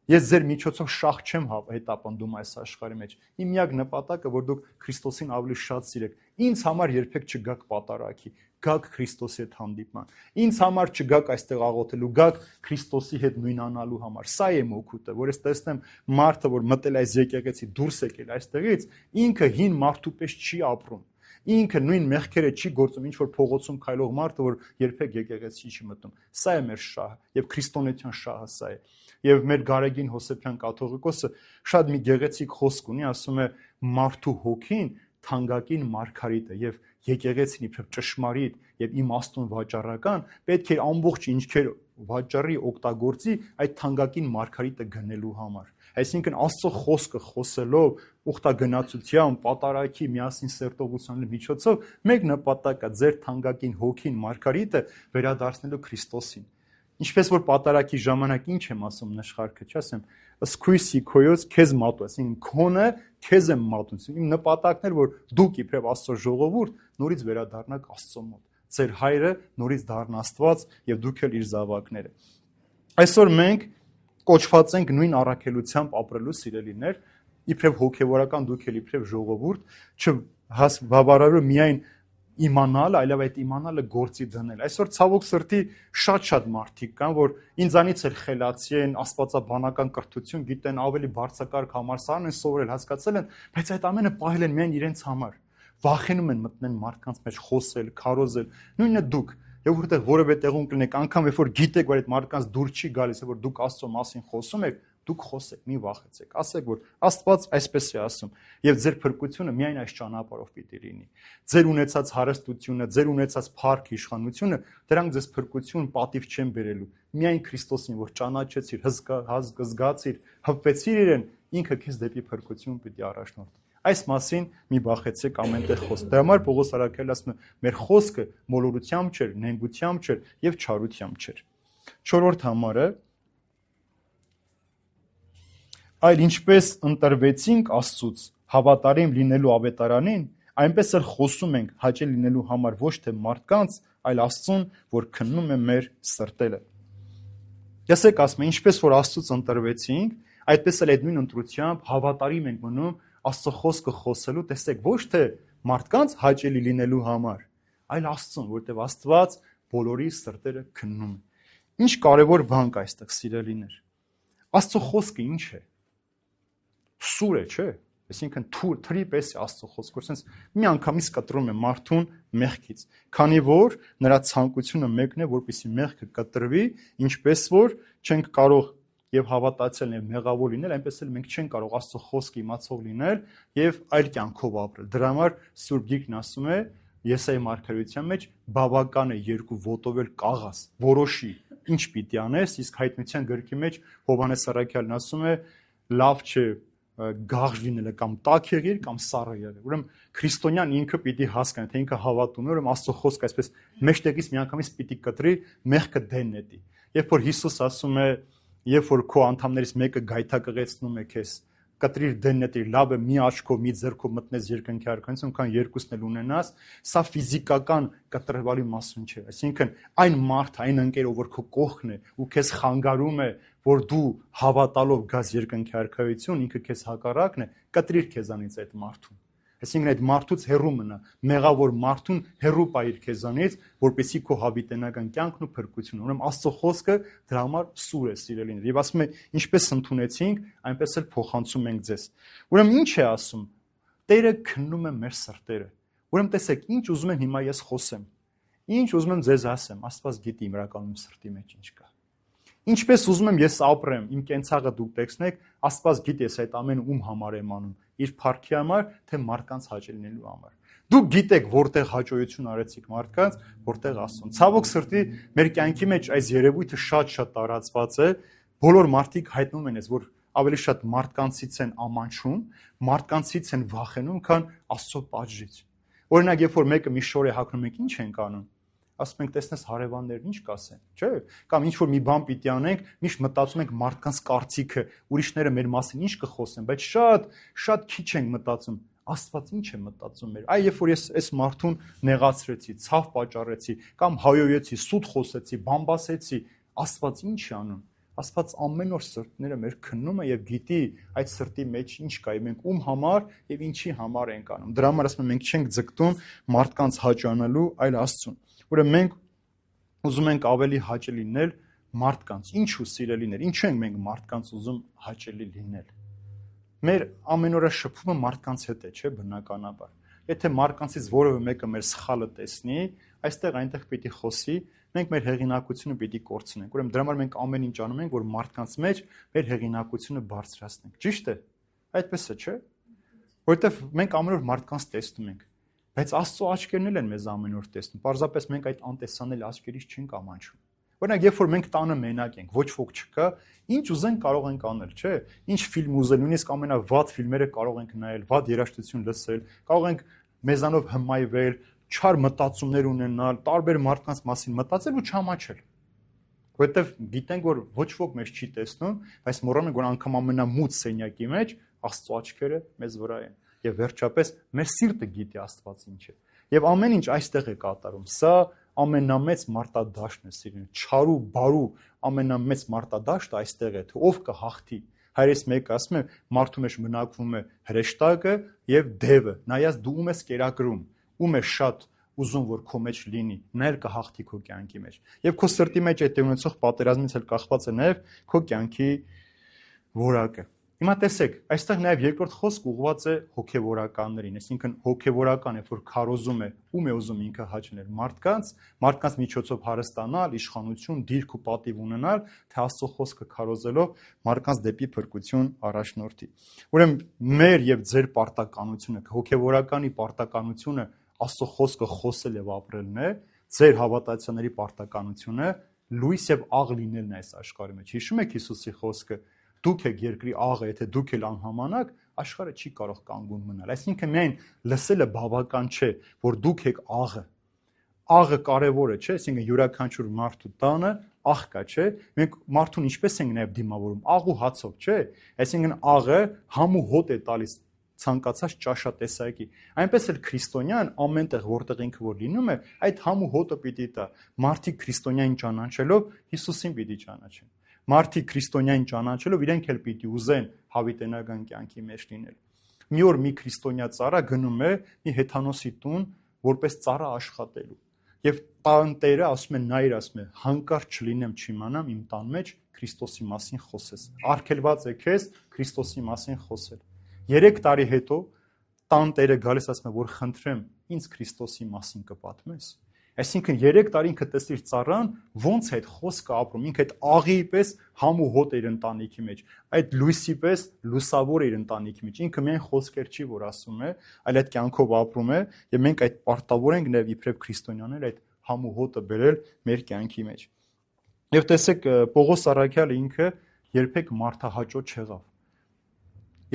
Ես ձեր միջոցով շահ չեմ հետապնդում այս աշխարհի մեջ։ Իմ միակ նպատակը, որ դուք Քրիստոսին ավելի շատ սիրեք։ Ինձ համար երբեք չգաք պատարագի, գաք Քրիստոսի հետ հանդիպման։ Ինձ համար չգաք այստեղ աղոթելու, գաք Քրիստոսի հետ նույնանալու համար։ Սա է իմ օգուտը, որ ես տեսնեմ մարդը, որ մտել այս եկեղեցի, դուրս եկել այստեղից, ինքը հին մարդու պես չի ապրում։ Ինքը նույն մեղքերը չի գործում, ինչ որ փողոցում քայլող մարդը, որ երբեք եկեղեցի չի մտնում։ Սա է մեր շահը, եւ քրիստոնեության շահը սա է։ Եվ մեր Գարեգին Հոսեփյան կաթողիկոսը շատ մի գեղեցիկ խոսք ունի, ասում է մարդու հոգին թանկագին մարգարիտ է եւ եկեղեցին իբր ճշմարիտ եւ իմաստուն վաճառական պետք է ամբողջ ինչքեր վաճառի օգտագործի այդ թանկագին մարգարիտը գնելու համար։ Այսինքն Աստծո խոսքը խոսելով ուխտագնացությամբ, պատարագի, միասին սերտողության միջոցով մեկ նպատակը ձեր թանկագին հոգին մարգարիտը վերադարձնելու Քրիստոսին։ Ինչպես որ պատարագի ժամանակ ինչ եմ ասում նշխարքը, չասեմ, սկույսի քոյոց քեզ մատու, այսինքն քոնը քեզ եմ մատում։ Իմ նպատակն էր, որ դուք իբրև Աստծո ժողովուրդ նորից վերադառնաք Աստծո մոտ։ Ձեր հայրը նորից դառնա Աստված եւ դուք էլ իր զավակները։ Այսօր մենք կոչված ենք նույն առաքելությամբ ապրելու սիրելիներ, իբրև հոգեվորական դուք էլ իբրև ժողովուրդ, չբավարարը միայն իմանալ, այլև այդ իմանալը գործի դնել։ Այսօր ցավոք սրտի շատ մարդիկ կան, որ ինձանից էլ խելացի են, աստվածաբանական կրթություն գիտեն, ավելի բարձրակարգ համալսարան են սովորել, հասկացել են, բայց այդ ամենը պահել են միայն իրենց համար։ Վախենում են մտնեն մարդկանց մեջ խոսել, քարոզել, նույնը դուք։ Եվ որտեղ որևէ տեղում կլինեք, անգամ երբ որ գիտեք, որ այդ մարդկանց դուր չի գալիս, որ դուք Աստծո մասին խոսում եք, դուք խոսեք, մի վախեցեք, ասեք, որ Աստված այսպես է ասում, եւ ձեր փրկությունը միայն այս ճանապարհով պիտի լինի։ Ձեր ունեցած հարստությունը, ձեր ունեցած փառք, իշխանությունը, դրանք ձեզ փրկություն, պատիվ չեն բերելու։ Միայն Քրիստոսին, որ ճանաչեցիր, զգացիր, հպվեցիր իրեն, ինքը քեզ դեպի փրկություն պիտի առաջնորդի։ Այս մասին մի բախեցեք ամենտեղ խոսք։ Դրա համար Պողոս Արաքելն ասում է, մեր խոսքը մոլորությամբ չէր, նենգությամբ չէր եւ չարությամբ չէր։ 4-րդ համարը այլ ինչպես ընտրվեցինք Աստծուց հավատարիմ լինելու ավետարանին, այնպես էլ խոսում ենք հաճելի լինելու համար ոչ թե մարդկանց, այլ Աստծուն, որ քննում է մեր սրտերը։ Եսեք ասում եմ, ինչպես որ Աստծուց ընտրվեցինք, այդպես էլ այդ նույն ընտրությամբ հավատարիմ ենք մնում Աստծո խոսքը խոսելու, տեսեք, ոչ թե մարդկանց հաճելի լինելու համար, այլ Աստծուն, որտեղ Աստված բոլորի սրտերը քննում է։ Ինչ կարևոր բան կա այստեղ, սիրելիներ։ Աստծո խոսքը ինչ է։ Սուր է, չէ՞։ Այսինքն թրի պես է Աստծո խոսքը, որ sense մի անգամից կտրում է մարդուն մեղքից, քանի որ նրա ցանկությունը մեկն է, որպեսզի մեղքը կտրվի, ինչպես որ չենք կարող եւ հավատացել եւ մեղավոր լինել, այնպես էլ մենք չենք կարող Աստծո խոսքը իմացող լինել եւ այլ կյանքով ապրել։ Դրա համար Սուրբ Գիրքն ասում է Եսայի մարգարեության մեջ բավական է երկու ոտովել կաղաս, որոշի ինչ պիտի անես, իսկ Հայտնության գրքի մեջ Հովհաննես Առաքյալն ասում է լավ չէ գաղ լինելը կամ տաք եղիր կամ սառը եղիր։ Ուրեմն քրիստոնյան ինքը պիտի հասկանա, թե ինքը հավատում է, ուրեմն Աստծո խոսքը այսպես մեջտեղից միանգամից պիտի կտրի, մեղքը դեն նետի։ Երբ որ Հիսուս ասում է, երբ որ քո անդամներից մեկը գայթակղեցնում է քեզ, կտրիր դեննետիր, լավ է մի աչքով, մի ձեռքով մտնես երկնքի արքայություն, քան երկուսն էլ ունենաս, սա ֆիզիկական կտրվալի մասուն չէ։ Այսինքն այն մարդը, այն ընկերով, որ քո կողքն է ու քեզ խանգարում է, որ դու հավատալով գաս երկնքի արքայություն, ինքը քեզ հակառակն է, կտրիր քեզանից այդ մարդուն։ Այսինքն այդ մարդուց հեռու մնա, մեղավոր մարդուն հեռու պահիր քեզանից, որպեսզի քո հավիտենական կյանքն ու փրկությունը։ Ուրեմն Աստծո խոսքը դրա համար սուր է, սիրելիներ։ Եվ ասում է, ինչպես ընդունեցինք, այնպես էլ փոխանցում ենք ձեզ։ Ուրեմն ինչ է ասում։ Տերը քննում է մեր սրտերը։ Ուրեմն տեսեք, ինչ ուզում եմ հիմա ես խոսեմ։ Ինչ ուզում եմ ձեզ ասեմ, Աստված գիտի իրականում սրտի մեջ ինչ կա։ Ինչպես ուզում եմ ես ապրեմ, իմ կենցաղը դուք տեսնեք, Աստված գիտի ես այդ ամենը ում համար եմ անում, իր փառքի համար, թե մարդկանց հաճելի լինելու համար։ Դուք գիտեք որտեղ հաճոյություն արեցիք մարդկանց, որտեղ Աստծուն։ Ցավոք սրտի մեր կյանքի մեջ այս երևույթը շատ տարածված է, բոլոր մարդիկ հայտնում են, որ ավելի շատ մարդկանցից են ամանչում, մարդկանցից են վախենում, քան Աստծո պատժից։ Օրինակ, երբ որ մեկը մի շոր է հագնում, մենք ինչ ենք անում։ Ասում ենք, տեսնես հարևաններն ինչ կասեն, չէ՞։ Կամ ինչ որ մի բան պիտի անենք, միշտ մտածում ենք մարդկանց կարծիքը, ուրիշները մեր մասին ինչ կխոսեն, բայց շատ քիչ ենք մտածում Աստված ինչ է մտածում մեր։ Այ երբ որ ես այս մարդուն նեղացրեցի, ցավ պատճառեցի, կամ հայոյեցի, սուտ խոսեցի, բամբասեցի, Աստված ինչ է անում։ Աստված ամեն օր սրտները մեր քննում է եւ գիտի այդ սրտի մեջ ինչ կա, մենք ում համար եւ ինչի համար ենք անում։ Դրա համար ասում եմ, մենք չենք ձգտում մարդկանց հաճանալու, այլ Աստծուն։ Ուրեմն մենք ուզում ենք ավելի հաճելի լինել մարդկանց։ Ինչու սիրելիներ, ինչու ենք մենք մարդկանց ուզում հաճելի լինել։ Մեր ամենօրյա շփումը մարդկանց հետ է, չէ՞, բնականաբար։ Եթե մարդկանցից որևէ մեկը մեր սխալը տեսնի, այստեղ այնտեղ պիտի խոսի, մենք մեր հեղինակությունը պիտի կորցնենք։ Ուրեմն դրա համար մենք ամեն ինչ անում ենք, որ մարդկանց մեջ մեր հեղինակությունը բարձրացնենք։ Ճիշտ է։ Այդպես է, չէ՞։ Որովհետև մենք ամեն օր մարդկանց տեսնում ենք, բայց Աստծո աչքերն էլ են մեզ ամեն օր տեսնում։ Պարզապես մենք այդ անտեսանելի աչքերից չենք ամանչում։ Օրինակ, երբ որ մենք տանը մենակ ենք, ոչ ոք չկա, ինչ ուզենք կարող ենք անել, չէ՞։ Ինչ ֆիլմ ուզել, նույնիսկ ամենավատ ֆիլմերը կարող ենք նայել, վատ երաժշտություն լսել, կարող ենք մեզանով հմայվել, չար մտածումներ ունենալ, տարբեր մարդկանց մասին մտածել ու չամաչել։ Որովհետև գիտենք, որ ոչ ոք մեզ չի տեսնում, բայց մոռանում ենք, որ անգամ ամենամութ սենյակի մեջ Աստծո աչքերը մեզ վրա են։ Եվ վերջապես մեր սիրտը գիտի Աստված ինչ է։ Եվ ամեն ինչ այստեղ է կատարում։ Սա ամենամեծ մարտադաշտն է, սիրուն, չարու, բարու ամենամեծ մարտադաշտը այստեղ է, թե ով կհաղթի։ Հայրես մեկը ասում է, մարդու մեջ մնակվում է հրեշտակը եւ դևը։ Նայած դու ում ես կերակրում, ում է շատ ուզում որ քո մեջ լինի, նա էլ կհաղթի քո կյանքի մեջ։ Եվ քո սրտի մեջ այդ ունեցող պատերազմից էլ կախված է նաեւ քո կյանքի որակը։ Հիմա տեսեք, այստեղ նաև երկրորդ խոսք ուղղված է հոգևորականներին, այսինքն հոգևորական է, որ քարոզում է, ում է ուզում ինքը հաճնել մարդկանց միջոցով հարստանալ, իշխանություն, դիրք ու պատիվ ունենալ, թե Աստծո խոսքը քարոզելով մարդկանց դեպի փրկություն առաջնորդի։ Ուրեմն մեր եւ ձեր պարտականությունը, հոգևորականի պարտականությունը Աստծո խոսքը խոսել եւ ապրելն է, ձեր հավատացյալների պարտականությունը լույս եւ աղ լինելն է այս աշխարհի մեջ։ Հիշում եք Հիսուսի խոսքը. դուք եք երկրի աղը, եթե դուք ել անհամանաք, աշխարհը չի կարող կանգուն մնալ։ Այսինքն միայն լսելը բավական չէ, որ դուք եք աղը։ Աղը կարևոր է, չէ՞, այսինքն յուրաքանչյուր մարդու տանը աղ կա, չէ՞։ Մենք մարդուն ինչպես ենք նաև դիմավորում, աղ ու հացով, չէ՞։ Այսինքն աղը համ ու հոտ է տալիս ցանկացած ճաշատեսակի։ Այնպես էլ քրիստոնյան ամենտեղ որտեղ ինքը որ լինում է, այդ համ ու հոտը պիտի տա։ Մարդիկ քրիստոնյային ճանաչելով Հիսուսին պիտի ճանաչեն։ Մարդիկ քրիստոնյային ճանաչելով իրենք էլ պիտի ուզեն հավիտենական կյանքի մեջ լինել։ Մի օր մի քրիստոնյա ծառա գնում է մի հեթանոսի տուն որպես ծառա աշխատելու։ Եվ տանտերը ասում է, նայր, ասում է, հանկարծ չլինեմ չիմանամ իմ տան մեջ Քրիստոսի մասին խոսես։ Արգելված է քեզ Քրիստոսի մասին խոսել։ 3 տարի հետո տանտերը գալիս ասում է, որ խնդրեմ, ինձ Քրիստոսի մասին կպատմես։ Այսինքն 3 տարի ինքը տեսիր ծառան ոնց է այդ խոսքը ապրում, ինքը այդ աղի պես համ ու հոտ էր ընտանիքի մեջ, այդ լույսի պես լուսավոր էր ընտանիքի մեջ, ինքը միայն խոսքեր չի որ ասում է, այլ այդ կյանքով ապրում է, եւ մենք այդ պարտավոր ենք նաև իբրև քրիստոնյաներ այդ համ ու հոտը բերել մեր կյանքի մեջ։ Եվ տեսեք Պողոս առաքյալը ինքը երբեք մարդահաճո չեղավ։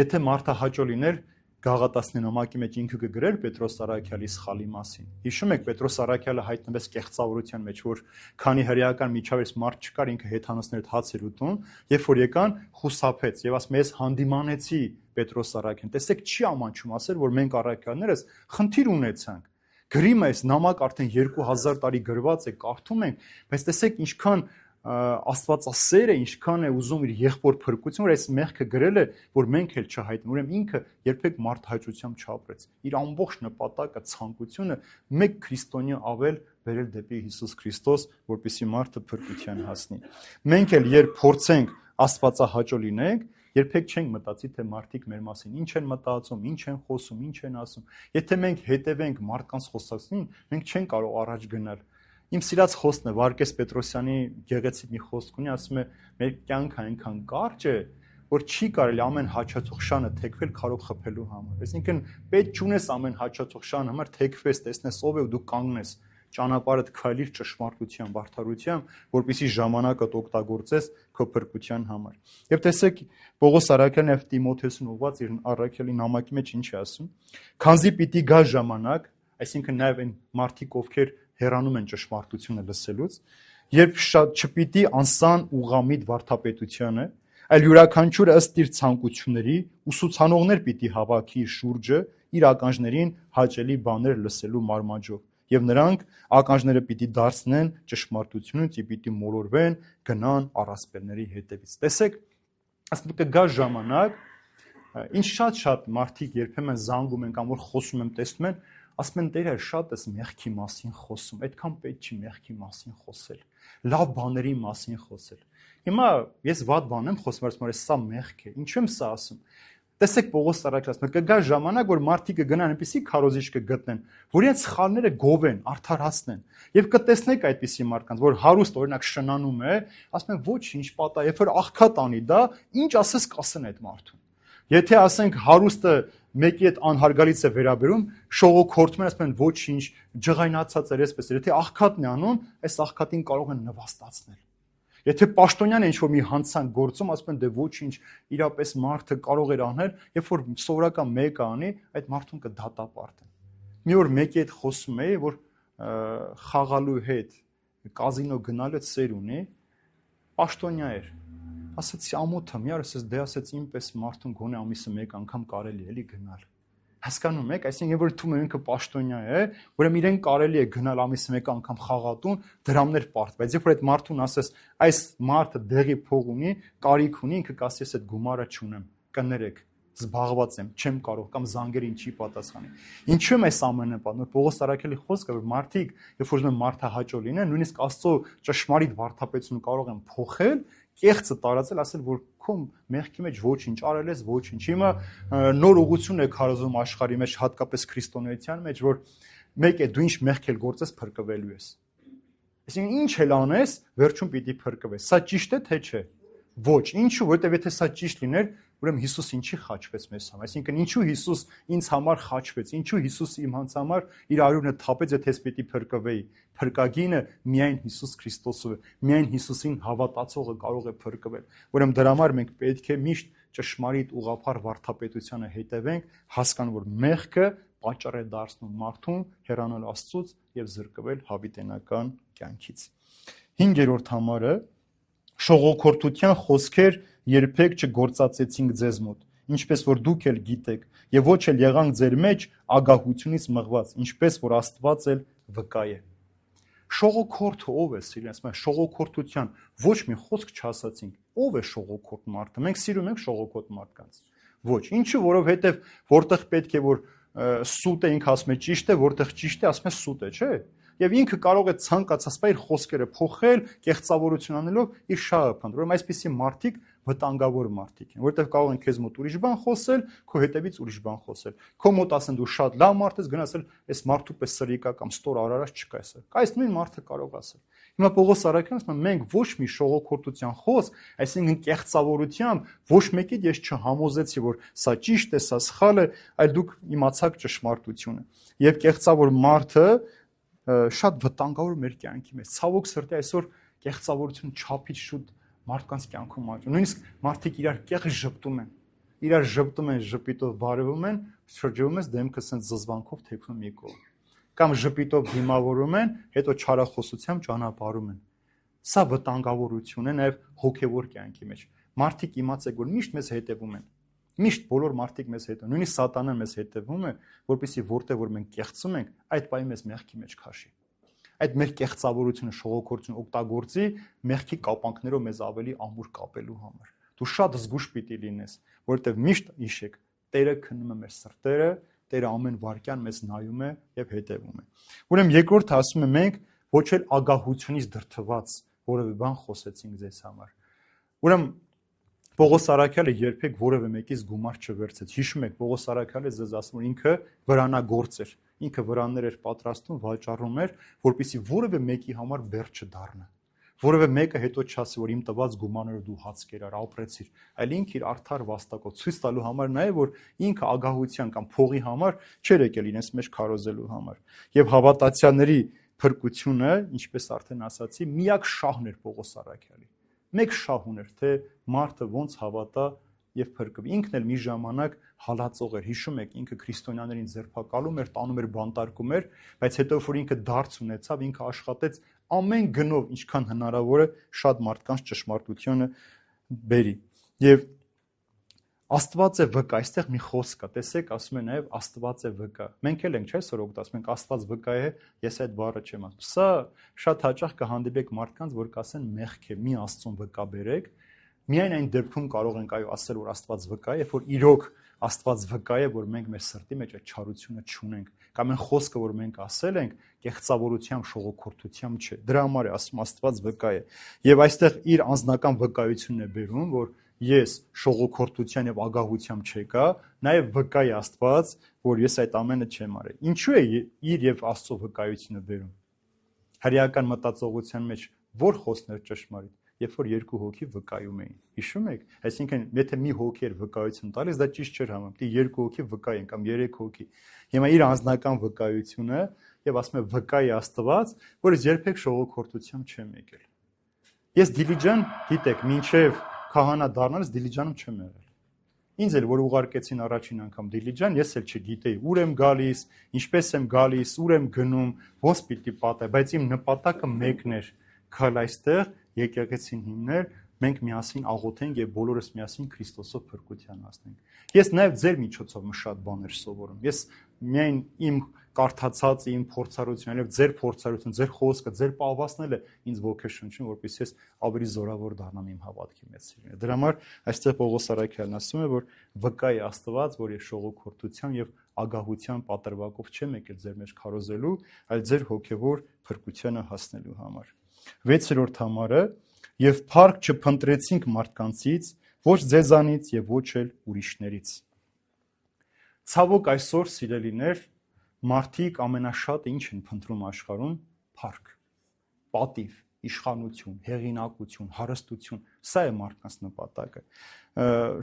Եթե մարդահաճո լիներ, Գաղատացնի նամակի մեջ ինքը կգրեր Պետրոս առաքյալի սխալի մասին։ Հիշում եք Պետրոս առաքյալը հայտնվեց կեղծավորության մեջ, որ քանի հրեական միջավայրից մարդ չկար, ինքը հեթանոսներ հաց էր ուտում, երբ որ եկան խուսափեց եւ ասում ես հանդիմանեցի Պետրոս առաքյալին։ Տեսեք չի ամանչում ասել, որ մենք առաքյալներս խնդիր ունեցանք։ Գրիմը այս նամակ արդեն 2000 տարի գրված է, կարդում ենք, բայց տեսեք ինչքան աստվածասեր է, ինչքան է ուզում իր եղբոր փրկություն, որ այս մեղքը գրել է, որ մենք էլ չհայտնենք։ Ուրեմն ինքը երբեք մարդահաճությամբ չապրեց։ Իր ամբողջ նպատակը, ցանկությունը մեկ քրիստոնյա ավել բերել դեպի Հիսուս Քրիստոս, որպեսզի մարդը փրկության հասնի։ Մենք էլ երբ փորձենք աստվածահաճո լինենք, երբեք չենք մտածի, թե մարդիկ մեր մասին ինչ են մտածում, ինչ են խոսում, ինչ են ասում։ Եթե մենք հետևենք մարդկանց խոսածին, մենք չենք կարող առաջ գնալ։ Իմ սիրած խոսքն է Վարկես Պետրոսյանի գեղեցիկ մի խոսք ունի, ասում է մեր կյանքը այնքան կարճ է, որ չի կարելի ամեն հաճացող շանը թեքվել քարով խփելու համար։ Այսինքն պետք չունես ամեն հաճացող շան համար թեքվես, տեսնես ով է ու դու կանգնես, ճանապարհդ քայլիր ճշմարտության, բարդարության, որպեսզի ժամանակդ օգտագործես քո փրկության համար։ Եվ տեսեք Պողոս Արաքելն եւ Տիմոթեոսին ուղված իր առաքելի նամակի մեջ ինչ է ասում. Քանզի պիտի գա ժամանակ, այսինքն նաեւ այն մարդիկ, ովքեր հեռանում են ճշմարտությունը լսելուց, երբ շատ չպիտի անսան ուղամիտ վարդապետությանը, այլ յուրաքանչյուրը ըստ իր ցանկությունների ուսուցանողներ պիտի հավաքի իր շուրջը իր ականջներին հաճելի բաներ լսելու մարմաճով, եւ նրանք ականջները պիտի դարձնեն ճշմարտությունից եւ պիտի մոլորվեն, գնան առասպելների հետևից։ Տեսեք, ասում կգա ժամանակ, ինչ շատ մարդիկ երբեմն զանգում են կամ որ խոսում եմ, տեսնում են, ասում են Տերը շատ էս մեղքի մասին խոսում, այդքան պետք չի մեղքի մասին խոսել, լավ բաների մասին խոսել։ Հիմա ես վատ բան եմ խոսում, ասում եմ, սա մեղք է, ինչու եմ սա ասում։ Տեսեք Պողոս Արաքելն ասում է, կգա ժամանակ, որ մարդիկ կգնան այնպիսի քարոզիչ կգտնեն, որ իրենց սխալները գովեն, արդարացնեն։ Եվ կտեսնեք այդպիսի մարդկանց, որ հարուստ օրինակ շնանում է, ասում են ոչինչ պատա, երբ որ աղքատ անի դա, ինչ ասես կասեն այդ մարդուն։ Եթե ասենք հարուստը մեկի հետ անհարգալից է վերաբերում, շողոքորթում են, ասում են ոչինչ, ջղայնացած էր, այսպես էր։ Եթե աղքատն է անում, այս աղքատին կարող են նվաստացնել։ Եթե պաշտոնյան է ինչ-որ մի հանցանք գործում, ասում են դե ոչինչ, իրապես մարդը կարող էր անել, երբ որ սովորական մեկը անի, այդ մարդուն կդատապարտեն։ Մի օր մեկի հետ խոսում էի, որ խաղալու հետ կազինո գնալու սեր ունի, պաշտոնյա էր։ Ասացի ամոթը, մի օր ասես դե ասեց ինպես մարդուն գոնե ամիսը մեկ անգամ կարելի էլի գնալ։ Հասկանում եք, այսինքն որ թվում է ինքը պաշտոնյա է, ուրեմն իրեն կարելի է գնալ ամիսը մեկ անգամ խաղատուն, դրամներ պարտ, բայց երբ որ այդ մարդուն ասես, այս մարդը դեղի փող ունի, կարիք ունի, ինքը կասի ես այդ գումարը չունեմ, կներեք, զբաղված եմ, չեմ կարող կամ զանգերին չի պատասխանի։ Ինչու եմ այս ամենը պատմում, Պողոս Արաքելի խոսքը, որ մարդիկ, երբ որ ուզում են մարդահաճո լինեն, նույնիսկ Աստծո ճշմարիտ վարդապետությունը կարող են փոխել, կեղծը տարածել, ասել, որ քո մեղքի մեջ ոչինչ արել ես, ոչինչ։ Հիմա նոր ուղղություն է քարոզում աշխարհի մեջ, հատկապես քրիստոնեության մեջ, որ մեկ է դու ինչ մեղք էլ գործես, փրկվելու ես։ Այսինքն ինչ էլ անես, վերջում պիտի փրկվես։ Սա ճիշտ է թե չէ։ Ոչ, ինչու, որովհետև եթե սա ճիշտ լիներ, ուրեմն Հիսուս ինչի խաչվեց մեզ համար։ Այսինքն ինչու Հիսուս ինձ համար խաչվեց, ինչու Հիսուս իմ համար իր արյունը թափեց, եթե ես պիտի փրկվեի։ Փրկագինը միայն Հիսուս Քրիստոսով է, միայն Հիսուսին հավատացողը կարող է փրկվել։ Ուրեմն դրա համար մենք պետք է միշտ ճշմարիտ ուղղափառ վարդապետությանը հետևենք, հասկանալ, որ մեղքը պատճառ է դարձնում մարդուն հեռանալ Աստծուց եւ զրկվել հավիտենական կյանքից։ 5-րդ համարը շողոքորթության խոսքեր երբեք չգործածեցինք ձեզ մոտ, ինչպես որ դուք էլ գիտեք, եւ ոչ էլ եղանք ձեր մեջ ագահությունից մղված, ինչպես որ Աստված էլ վկա է։ Շողոքորթը ով է, սիրելիս, մենք շողոքորթության ոչ մի խոսք չասացինք։ Ով է շողոքորթ մարդը։ Մենք սիրում ենք շողոքորթ մարդկանց։ Ոչ, ինչու, որովհետեւ որտեղ պետք է որ սուտ է, ինքը ասում է ճիշտ է, որտեղ ճիշտ է, ասում է սուտ է, չէ՞։ Եվ ինքը կարող է ցանկացած իր խոսքերը փոխել, կեղծավորություն անելով իր շահը փնտրել։ Ուրեմն այսպիսի մարդիկ վտանգավոր մարդիկ են, որովհետև կարող են քեզ մոտ ուրիշ բան խոսել, քո հետևից ուրիշ բան խոսել։ Քո մոտ ասեն դու շատ լավ մարդ ես, գնացել այս մարդու պես սրիկա կամ ստոր արարած չկա էսը։ Այս նույն մարդը կարող ասել։ Հիմա Պողոս Արաքելն ասում է, մենք ոչ մի շողոքորթության խոսք, այսինքն կեղծավորությամբ ոչ մեկիդ ես չհամոզեցի, որ սա ճիշտ է, սա սխալ է, այլ դուք իմացաք ճշմարտությունը։ Եվ կեղծավոր մարդը շատ վտանգավոր մեր կյանքի մեջ։ Ցավոք սրտի այսօր կեղծավորությունը չափից շուտ մարդկանց կյանքում աճում։ Նույնիսկ մարդիկ իրար կեղծ ժպտում են։ Իրար ժպտում են, ժպիտով բարևում են, շրջվում ես դեմքը սենց զզվանքով թեքվում մի կողմ։ Կամ ժպիտով դիմավորում են, հետո չարախոսությամբ ճանապարհում են։ Սա վտանգավորություն է նաև հոգևոր կյանքի մեջ։ Մարդիկ իմացեք, որ միշտ մեզ հետևում են։ Միշտ բոլոր մարդիկ մեզ հետևում, նույնիսկ սատանան մեզ հետևում է, որպեսզի որտեղ որ մենք կեղծում ենք, այդ պահի մեզ մեղքի մեջ քաշի։ Այդ մեր կեղծավորությունը, շողոքորթությունը օգտագործի մեղքի կապանքներով մեզ ավելի ամուր կապելու համար։ Դու շատ զգուշ պիտի լինես, որովհետև միշտ հիշեք, Տերը քննում է մեր սրտերը, Տերը ամեն վարքյան մեզ նայում է եւ հետևում է։ Ուրեմն երկրորդը ասում է մենք ոչ էլ ագահությունից դրթված որևէ բան խոսեցինք ձեզ համար։ Ուրեմն Պողոս Արաքյալը երբեք որևէ մեկից գումար չվերցեց։ Հիշում եք, Պողոս Արաքյալը ձեզ ասում որ ինքը վրանագործ էր։ ինքը վրաններ էր պատրաստում, վաճառում էր, որպեսզի որևէ մեկի համար բեռ չդառնա։ Որևէ մեկը հետո չասի, որ իմ տված գումարները դու հաց կերար, ապրեցիր, այլ ինքը իր արդար վաստակով ցույց տալու համար նաև որ ինքը ագահության կամ փողի համար չէր եկել իրենց մեջ քարոզելու համար։ Եվ հավատացյալների փրկությունը, ինչպես արդեն ասացի, միակ շահն էր Պողոս Առաքյալի։ Մեկ շահ ուներ, թե մարդը ոնց հավատա եւ փրկվի։ Ինքն էլ մի ժամանակ հալածող էր, հիշում եք, ինքը քրիստոնյաներին ձերբակալում էր, տանում էր, բանտարկում էր, բայց հետո որ ինքը դարձ ունեցավ, ինքը աշխատեց ամեն գնով, ինչքան հնարավոր է, շատ մարդկանց ճշմարտությունը բերի։ Եվ Աստված է վկա, այստեղ մի խոսք կա, տեսեք, ասում է նաև Աստված է վկա։ Մենք էլ ենք, չէ՞, այսօր օգտվում ենք Աստված վկա է, ես այդ բառը չեմ ասում։ Սա շատ հաճախ կհանդիպեք մարդկանց, որ կասեն մեղք է, մի Աստծուն վկա բերեք։ Միայն այն դեպքում կարող ենք այո ասել, որ Աստված վկա է, երբ որ իրոք Աստված վկա է, որ մենք մեր սրտի մեջ այդ չարությունը չունենք, կամ այն խոսքը, որ մենք ասել ենք, կեղծավորությամբ, շողոքորթությամբ չէ։ Դրա համար է ասում Աստված վկա է։ Եվ այստեղ իր անձնական վկայությունն է բերում, որ ես շողոքորթության եւ ագահությամբ չեկա, նաեւ վկա է Աստված, որ ես այդ ամենը չեմ արել։ Ինչու է իր եւ Աստծո վկայությունը բերում։ Հրեական մտածողության մեջ որ խոսքներ ճշմարիտ, երբ որ երկու հոգի վկայում էին։ Հիշում եք, այսինքն եթե մի հոգի էր վկայություն տալիս, դա ճիշտ չէր համարվում։ Դե երկու հոգի վկա են կամ երեք հոգի։ Հիմա իր անձնական վկայությունը եւ ասում է վկա է Աստված, որ ես երբեք շողոքորթությամբ չեմ եկել։ Ես Դիլիջան, գիտեք, մինչեւ քահանա դառնալս Դիլիջանում չեմ եղել։ Ինձ էլ որ ուղարկեցին առաջին անգամ Դիլիջան, ես էլ չգիտեի ուր եմ գալիս, ինչպես եմ գալիս, ուր եմ գնում, ոնց պիտի պատահի, բայց իմ նպատակը մեկն էր՝ գալ այստեղ, եկեղեցին հիմնել, մենք միասին աղոթենք եւ բոլորս միասին Քրիստոսով փրկության հասնենք։ Ես նաեւ ձեր միջոցով շատ բաներ սովորում։ Ես միայն իմ կարդացած իմ փորձառությունը, եւ ձեր փորձառությունը, ձեր խոսքը, ձեր պահվածն է ինձ ոգեշնչում, որպեսզի ես ավելի զորավոր դառնամ իմ հավատքի մեջ սիրուն։ Դրա համար այստեղ Պողոս Առաքյալն ասում է, որ վկա է Աստված, որ ես շողոքորթության եւ ագահության պատրվակով չեմ եկել ձեր մեջ քարոզելու, այլ ձեր հոգեվոր փրկությանը հասնելու համար։ 6-րդ համարը եւ փառք չփնտրեցինք մարդկանցից, ոչ ձեզանից եւ ոչ էլ ուրիշներից։ Ցավոք այսօր սիրելիներ մարդիկ ամենաշատը ինչ են փնտրում աշխարհում՝ փառք, պատիվ, իշխանություն, հեղինակություն, հարստություն, սա է մարդկանց նպատակը։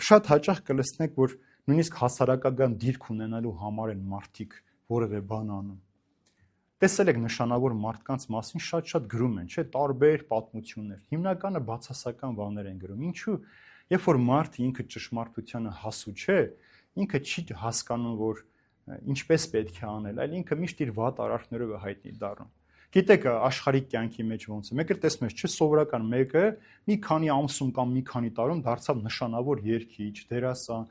Շատ հաճախ կլսնեք, որ նույնիսկ հասարակական դիրք ունենալու համար են մարդիկ որևէ բան անում։ Տեսել եք նշանավոր մարդկանց մասին շատ գրում են, չէ՞, տարբեր պատմություններ։ Հիմնականը բացասական բաներ են գրում։ Ինչու՞։ Երբ որ մարդը ինքը ճշմարտությանը հասու չէ, ինքը չի հասկանում, որ ինչպես պետք է անել, այլ ինքը միշտ իր վատ արարքներով է հայտնի դառնում։ Գիտեք, աշխարհիկ կյանքի մեջ ոնց է։ Մեկը տեսնում ես, չէ՞, սովորական մեկը մի քանի ամսում կամ մի քանի տարում դարձավ նշանավոր երգիչ, դերասան,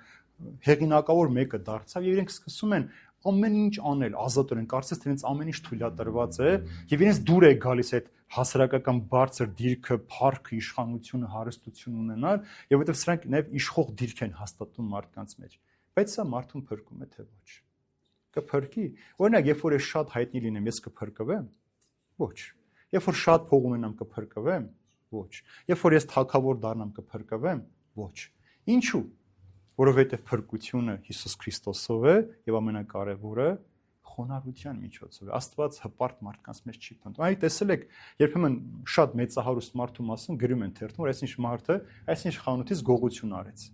հեղինակավոր մեկը դարձավ եւ իրենք սկսում են ամեն ինչ անել, ազատորեն, կարծես թե իրենց ամեն ինչ թույլատրված է եւ իրենց դուր է գալիս այդ հասարակական բարձր դիրքը, փառքը, իշխանությունը, հարստություն ունենալ եւ որովհետեւ սրանք նաեւ իշխող դիրք են հաստատում մարդկանց մեջ։ Բայց սա մարդուն փրկում է թե ոչ։ Կփրկի։ Օրինակ, երբ որ ես շատ հայտնի լինեմ, ես կփրկվեմ։ Ոչ։ Երբ որ շատ փող ունենամ, կփրկվեմ։ Ոչ։ Երբ որ ես թագավոր դառնամ, կփրկվեմ։ Ոչ։ Ինչու՞։ Որովհետև փրկությունը Հիսուս Քրիստոսով է եւ ամենակարևորը խոնարհության միջոցով է։ Աստված հպարտ մարդկանց մեջ չի փնտրում։ Այ տեսել եք, երբեմն շատ մեծահարուստ մարդու մասին գրում են թերթում, որ այսինչ մարդը այսինչ խանութից գողություն արեց։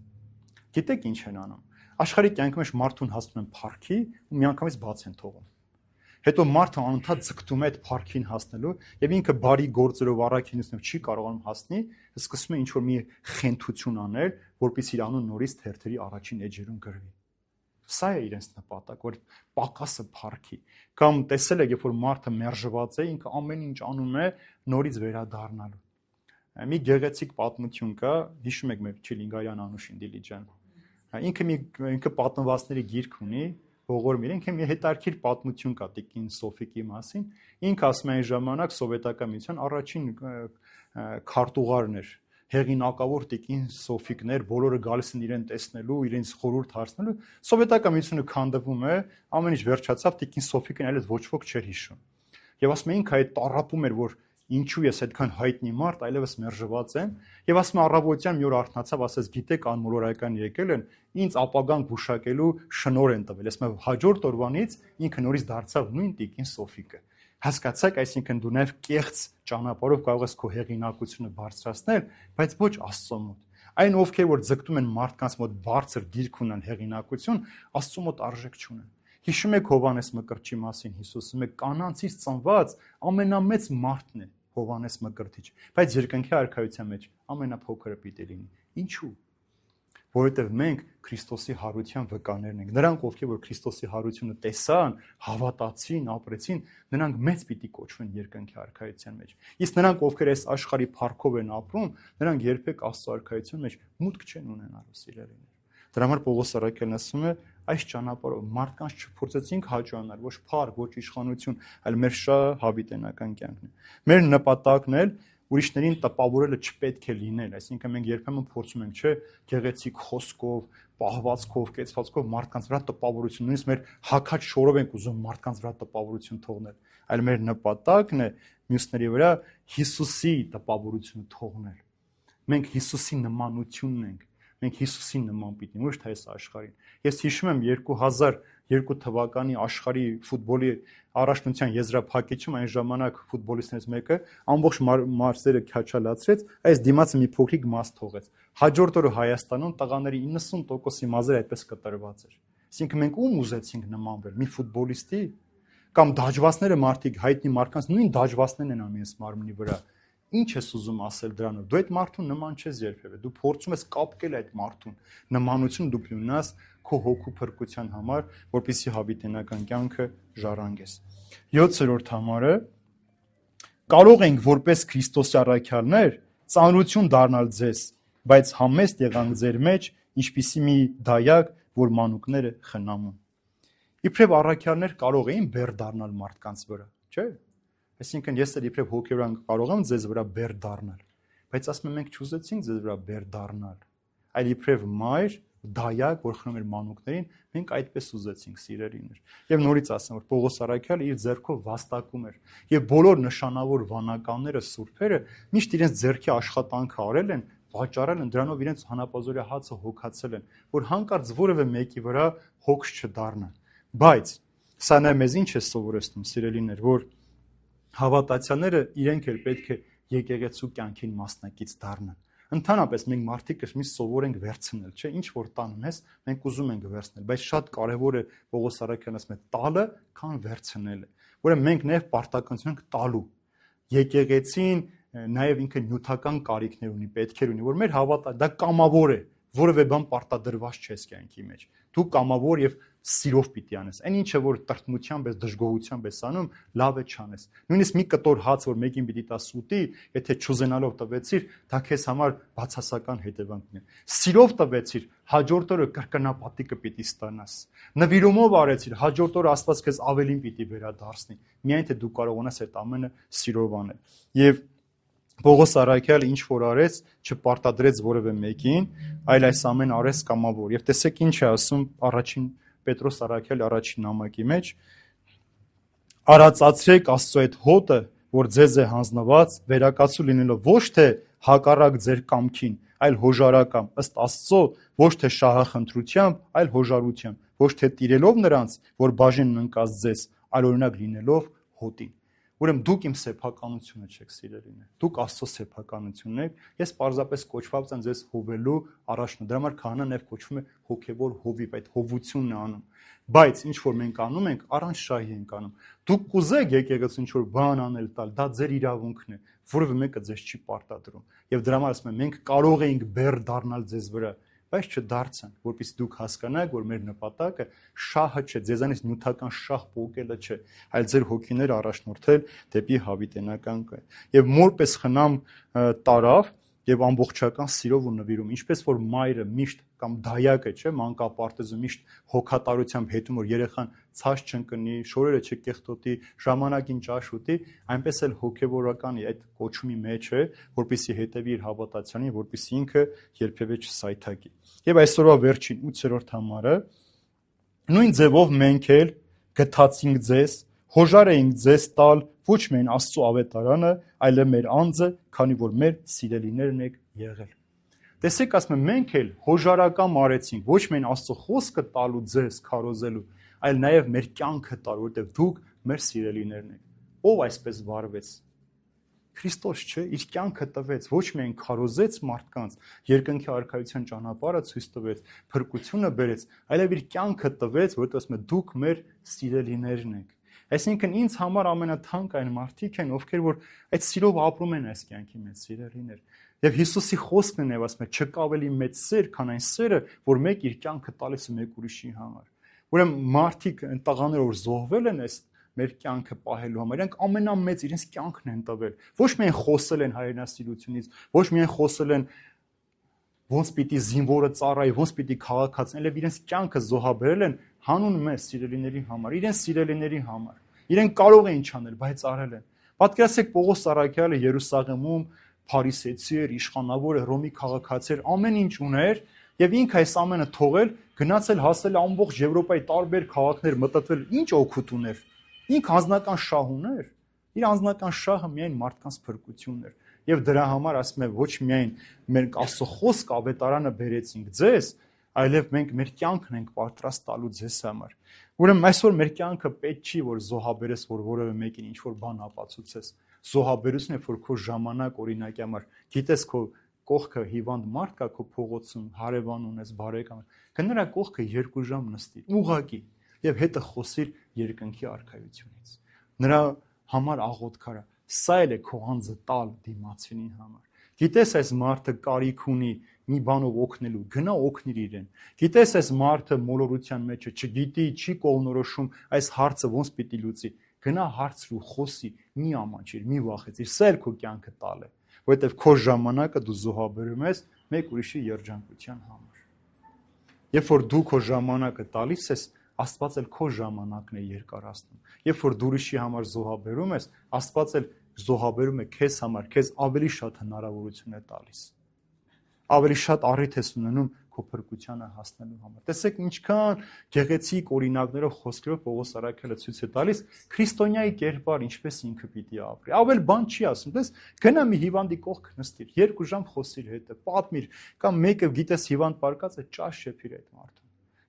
Գիտեք ինչ են անում։ Աշխարհի կյանքի մեջ մարդուն հասնում են փառքի ու միանգամից բաց են թողում։ Հետո մարդը անընդհատ ձգտում է այդ փառքին հասնելու եւ ինքը բարի գործերով առաքինությամբ չի կարողանում հասնի, սկսում է ինչ-որ մի խենթություն անել, որպեսզի իր անուն նորից թերթերի առաջին էջերում գրվի։ Սա է իրենց նպատակ, որ պակասը փառքի։ Կամ տեսել եք, երբ որ մարդը մերժված է, ինքը ամեն ինչ անում է նորից վերադառնալու։ Մի գեղեցիկ պատմություն կա, հիշում եք մեր Չիլինգարյան Անուշին Դիլիջան։ Ինքը պատմվածների գիրք ունի, ողորմ ինքը մի հետարքիր պատմություն կա Տիկին Սոֆիկի մասին։ Ինքը ասում է այն ժամանակ սովետական միության առաջին քարտուղարն էր, հեղինակավոր Տիկին Սոֆիկներ, բոլորը գալիս են իրեն տեսնելու, իրենց խորհուրդ հարցնելու։ Սովետական միությունը քանդվում է, ամեն ինչ վերջացավ, Տիկին Սոֆիկին այլևս ոչ ոք չէր հիշում։ Եվ ասում է ինքը այդ տառապում էր, որ ինչու ես այդքան հայտնի մարդ, այլևս մերժված եմ, եւ ասում է առավոտյան մի օր արթնացավ, ասես գիտեք անմոլորական եկել են, ինձ ապագան գուշակելու շնոր են տվել։ Ասում է հաջորդ օրվանից ինքը նորից դարձավ նույն տիկին Սոֆիկը։ Հասկացաք, այսինքն դու նաև կեղծ ճանապարհով կարող ես քո հեղինակությունը բարձրացնել, բայց ոչ Աստծո մոտ։ Այն ովքեր որ ձգտում են մարդկանց մոտ բարձր դիրք ունեն հեղինակություն, Աստծո մոտ արժեք չունեն։ Հիշում եք Հովհաննես Մկրտչի մասին Հիսուսը կանանցից ծնված ամենամեծ մարդն է Հովհաննես Մկրտիչ, բայց երկնքի արքայության մեջ ամենափոքրը պիտի լինի։ Ինչու՞։ Որովհետև մենք Քրիստոսի հարության վկաներն ենք։ Նրանք, ովքեր որ Քրիստոսի հարությունը տեսան, հավատացին, ապրեցին, նրանք մեծ պիտի կոչվեն երկնքի արքայության մեջ։ Իսկ նրանք, ովքեր այս աշխարհի փառքով են ապրում, նրանք երբեք Աստծո արքայության մեջ մուտք չեն ունենալու, սիրելիներ։ Դրա համար Պողոս առաքյալն ասում է, այս ճանապարհով մարդկանց չփորձեցինք հաջողանալ, ոչ փառք, ոչ իշխանություն, այլ մեր շահը հավիտենական կյանքն է։ Մեր նպատակն է ուրիշներին տպավորելը չպետք է լինել, այսինքն մենք երբեմն փորձում ենք, չէ, գեղեցիկ խոսքով, պահվածքով, կեցվածքով մարդկանց վրա տպավորություն, նույնիսկ մեր հակաց շորով ենք ուզում մարդկանց վրա տպավորություն թողնել, այլ մեր նպատակն է մյուսների վրա Հիսուսի տպավորությունը թողնել։ Մենք Հիսուսի նմանությունն ենք, մենք Հիսուսի նման պիտի, ոչ թե այս աշխարհին։ Ես հիշում եմ 2002 թվականի աշխարհի ֆուտբոլի առաջնության եզրափակիչում այն ժամանակ ֆուտբոլիստներից մեկը ամբողջ մարզերը քաչալացրեց, այս դիմացը մի փոքրիկ մաս թողեց։ Հաջորդ օրը Հայաստանում տղաների 90%-ի մազերը այդպես կտրված էր։ Այսինքն մենք ում ուզեցինք նմանվել, մի ֆուտբոլիստի կամ դաջվածները մարդիկ հայտնի մարդկանց նույն դաջվածներն են անում այս մարմնի վրա։ Ինչ ես ուզում ասել դրանով։ Դու այդ մարդուն նման չես երբևէ։ Դու փորձում ես կապկել այդ մարդուն։ Նմանություն դու ունենաս քո հոգու փրկության համար, որպեսզի հավիտենական կյանքը ժառանգես։ 7-րդ համարը կարող ենք որպես Քրիստոսի առաքյալներ ծանրություն դառնալ ձեզ, բայց համեստ եղանք ձեր մեջ, ինչպիսի մի դայակ, որ մանուկները խնամում։ Իբրև առաքյալներ կարող էին բեռ դառնալ մարդկանց վրա, չէ՞։ Այսինքն ես էլ իբրև հոգևորան կարող եմ ձեզ վրա բեռ դառնալ, բայց ասում եմ մենք չուզեցինք ձեզ վրա բեռ դառնալ, այլ իբրև մայր, դայակ, որ խնում էր մանուկներին, մենք այդպես ուզեցինք, սիրելիներ։ Եվ նորից ասեմ, որ Պողոս առաքյալը իր ձեռքով վաստակում էր, եւ բոլոր նշանավոր վանականները, սուրբերը միշտ իրենց ձեռքի աշխատանքը արել են, վաճառել են, դրանով իրենց հանապազորյա հացը հոգացել են, որ հանկարծ որևէ մեկի վրա հոգս չդառնա։ Բայց սա նա մեզ ինչ է սովորեցնում, սիրելիներ, որ հավատացյալները իրենք էլ պետք է եկեղեցու կյանքին մասնակից դառնան։ Ընդհանրապես մենք մարդիկ միշտ սովոր ենք վերցնել, չէ՞, ինչ որ տանում ես, մենք ուզում ենք վերցնել, բայց շատ կարևոր է Պողոս առաքյալն ասում է տալը, քան վերցնելը։ Ուրեմն մենք նաև պարտականություն ենք տալու։ Եկեղեցին նաև ինքը նյութական կարիքներ ունի, պետքեր ունի, որ մեր հավատա դա կամավոր է, որևէ բան պարտադրված չես կյանքի մեջ։ Դու կամավոր եւ սիրով պիտի անես։ Այն ինչը որ տրտմությամբ ես, դժգոհությամբ ես անում, լավ է չանես։ Նույնիսկ մի կտոր հաց որ մեկին պիտի տաս ուտի, եթե չուզենալով տվեցիր, դա քեզ համար բացասական հետևանքն է։ Սիրով տվեցիր, հաջորդ օրը կրկնապատիկը պիտի ստանաս։ Նվիրումով արեցիր, հաջորդ օրը Աստված քեզ ավելին պիտի վերադարձնի։ Միայն թե դու կարողանաս այդ ամենը սիրով անել։ Եվ Պողոս առաքյալը ինչ որ արեց, չպարտադրեց որևէ մեկին, այլ այս ամեն արեց կամավոր։ Եվ տեսեք ինչ է ասում առաջին Պետրոս առաքյալի առաջին նամակի մեջ. արածացրեք Աստծո այդ հոտը, որ ձեզ է հանձնված, վերակացու լինելով ոչ թե հակառակ ձեր կամքին, այլ հոժարակամ, ըստ Աստծո, ոչ թե շահախնդրությամբ, այլ հոժարությամբ, ոչ թե տիրելով նրանց, որ բաժին ընկած ձեզ, այլ օրինակ լինելով հոտին։ Ուրեմն դուք իմ սեփականությունը չեք, սիրելիներ։ Դուք Աստծո սեփականությունն եք։ Ես պարզապես կոչված եմ ձեզ հովելու առաջնորդ։ Դրա համար քահանան նաև կոչվում է հոգևոր հովիվ, այդ հովությունն է անում։ Բայց ինչ որ մենք անում ենք, առանց շահի ենք անում։ Դուք կուզեք եկեղեցու ինչ որ բան անել տալ, դա ձեր իրավունքն է, որևէ մեկը ձեզ չի պարտադրում։ Եվ դրա համար ասում եմ, մենք կարող ենք բեռ դառնալ ձեզ վրա, բայց չդարձանք, որպեսզի դուք հասկանաք, որ մեր նպատակը շահը չէ, ձեզանից նյութական շահ պոկելը չէ, այլ ձեր հոգիները առաջնորդել դեպի հավիտենական կայ։ Եվ մորպես խնամ տարավ եւ ամբողջական սիրով ու նվիրում, ինչպես որ մայրը միշտ կամ դայակը, չէ, մանկապարտեզը միշտ հոգատարությամբ հետում որ երեխան ցած չընկնի, շորերը չկեղտոտի, ժամանակին ճաշ ուտի, այնպես էլ հոգեվորականի այդ կոչումի մեջ է, որպեսզի հետևի իր հավատացյանին, որպեսզի ինքը երբևէ չսայթակի։ Եվ այսօրվա վերջին 8-րդ համարը նույն ձևով մենք էլ գթացինք ձեզ Հոժար էինք ձեզ տալ ոչ միայն Աստծո ավետարանը, այլև մեր անձը, քանի որ մեր սիրելիներն եք եղել։ Տեսեք, ասում եմ, մենք էլ հոժարական արեցինք ոչ միայն Աստծո խոսքը տալու ձեզ քարոզելու, այլ նաև մեր կյանքը տալ, որովհետև դուք մեր սիրելիներն եք։ Ով այսպես վարվեց։ Քրիստոս չէ, իր կյանքը տվեց, ոչ միայն քարոզեց մարդկանց, երկնքի արքայության ճանապարհը ցույց տվեց, փրկությունը բերեց, այլև իր կյանքը տվեց, որովհետև ասում է դուք մեր սիրելիներն եք։ Այսինքն ինձ համար ամենաթանկ այն մարդիկ են, ովքեր որ այդ սիրով ապրում են այս կյանքի մեջ, սիրելիներ։ Եվ Հիսուսի խոսքն է, ասում է, չկա ավելի մեծ սեր, քան այն սերը, որ մեկ իր կյանքը տալիս է մեկ ուրիշի համար։ Ուրեմն մարդիկ այն տղաները, որ զոհվել են այս մեր կյանքը պահելու համար, իրենք ամենամեծ իրենց կյանքն են տվել։ Ոչ միայն խոսել են հայրենասիրությունից, ոչ միայն խոսել են ոնց պիտի զինվորը ծառայի, ոնց պիտի քաղաքացին, այլև իրենց կյանքը զոհաբերել են հանուն մեզ սիրելիների համար, իրենց սիրելիների համար։ Իրենք կարող էին չանել, բայց արել են։ Պատկերացրեք Պողոս Առաքյալը Երուսաղեմում փարիսեցի էր, իշխանավոր էր, Հռոմի քաղաքացի էր, ամեն ինչ ուներ, եւ ինքը այս ամենը թողել, գնացել հասել ամբողջ Եվրոպայի տարբեր քաղաքներ մտածել, ինչ օգուտ ուներ։ Ինքը անձնական շահ ուներ։ Իր անձնական շահը միայն մարդկանց փրկությունն էր։ Եվ դրա համար ասում է ոչ միայն մենք Աստծո խոսք ավետարանը բերեցինք ձեզ, այլև մենք մեր կյանքն ենք պատրաստ տալու ձեզ համար։ Ուրեմն այսօր մեր կյանքը պետք չի որ զոհաբերես, որ որևէ մեկին ինչ որ բան ապացուցես։ Զոհաբերությունն է, որ քո ժամանակ օրինակի համար, գիտես քո կողքը հիվանդ մարդ կա քո փողոցում, հարևան ունես, բարեկամ, կնրա կողքը 2 ժամ նստի, ուղղակի, եւ հետը խոսիր երկնքի արքայությունից։ Նրա համար աղոթք արա։ Սա էլ է քո անձը տալ դիմացինի համար։ Գիտես այս մարդը կարիք ունի մի բանով օգնելու, գնա օգնիր իրեն։ Գիտես այս մարդը մոլորության մեջ է, չգիտի, չի կողնորոշում այս հարցը ոնց պիտի լուծի։ Գնա հարցրու, խոսի, մի ամաչիր, մի վախեցիր, սա էլ քո կյանքը տալ է, որովհետև քո ժամանակը դու զոհաբերում ես մեկ ուրիշի երջանկության համար։ Երբ որ դու քո ժամանակը տալիս ես, Աստված էլ քո ժամանակն է երկարացնում։ Երբ որ դու ուրիշի համար զոհաբերում ես, Աստված էլ զոհաբերում է քեզ համար, քեզ ավելի շատ հնարավորություն է տալիս։ Ավելի շատ առիթ ես ունենում քո փրկությանը հասնելու համար։ Տեսեք ինչքան գեղեցիկ օրինակներով խոսքերով Պողոս Առաքյալը ցույց է տալիս քրիստոնյայի կերպար ինչպես ինքը պիտի ապրի։ Ավել բան չի ասում, դες գնա մի հիվանդի կողք նստիր, 2 ժամ խոսիր հետը, պատմիր, կամ մեկը գիտես հիվանդ պարկած է, ճաշ շեփիր այդ մարդուն։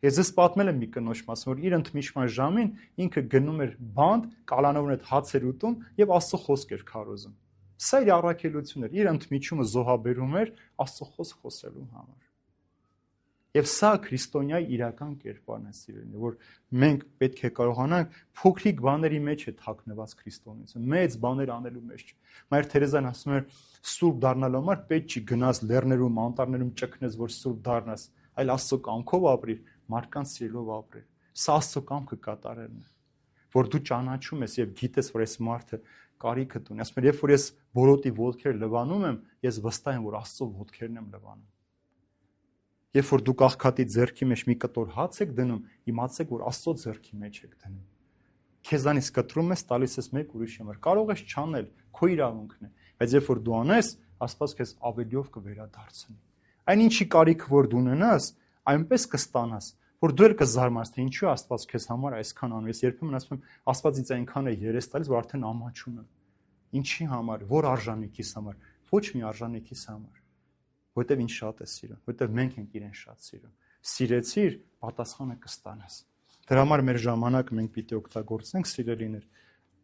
Ես ես պատմել եմ մի կնոջ մասը, որ իր ընդմիջման ժամին ինքը գնում էր բանդ, կալանովն այդ հաց էր ուտում եւ Աստծո խոսք էր քարոզում։ Սա իր առաքելությունն էր, իր ընդմիջումը զոհաբերում էր Աստծո խոսք խոսելու համար։ Եվ սա քրիստոնյայի իրական կերպարն է, սիրելիներ, որ մենք պետք է կարողանանք փոքրիկ բաների մեջ է թաքնված քրիստոնեությունը, մեծ բաներ անելու մեջ չէ։ Մայր Թերեզան ասում էր, սուրբ դառնալու համար պետք չի գնաս լեռներում, անտառներում ճկնես, որ սուրբ դառնաս, այլ Աստծո կամքով ապրիր, մարդկանց սիրելով ապրիր։ Սա Աստծո կամքը կատարելն է, որ դու ճանաչում ես եւ գիտես, որ այս մարդը կարիքդ ունի։ Ասում եմ, երբ որ ես բորոտի ոտքեր լվանում եմ, ես վստահ եմ, որ Աստծո ոտքերն եմ լվանում։ Երբ որ դուք աղքատի ձեռքի մեջ մի կտոր հաց եք դնում, իմացեք, որ Աստծո ձեռքի մեջ եք դնում։ Քեզանից կտրում ես, տալիս ես մեկ ուրիշի համար։ Կարող ես չանել, քո իրավունքն է, բայց երբ որ դու անես, Աստված քեզ ավելիով կվերադարձնի։ Այն ինչի կարիք որ դու ունենաս, այնպես կստանաս, որ դու էլ կզարմանաս, թե ինչու Աստված քեզ համար այսքան անում։ Ես երբեմն ասում եմ, Աստված ինձ այնքան է երես տալիս, որ արդեն ամաչում եմ։ Ինչի համար, որ արժանիքիս համար, ոչ մի արժանիքիս համար։ Որտեվ ինչ շատ է սիրում, որտեվ մենք ենք իրեն շատ սիրում։ Սիրեցիր, պատասխանը կստանաս։ Դրա համար մեր ժամանակը մենք պիտի օգտագործենք, սիրելիներ,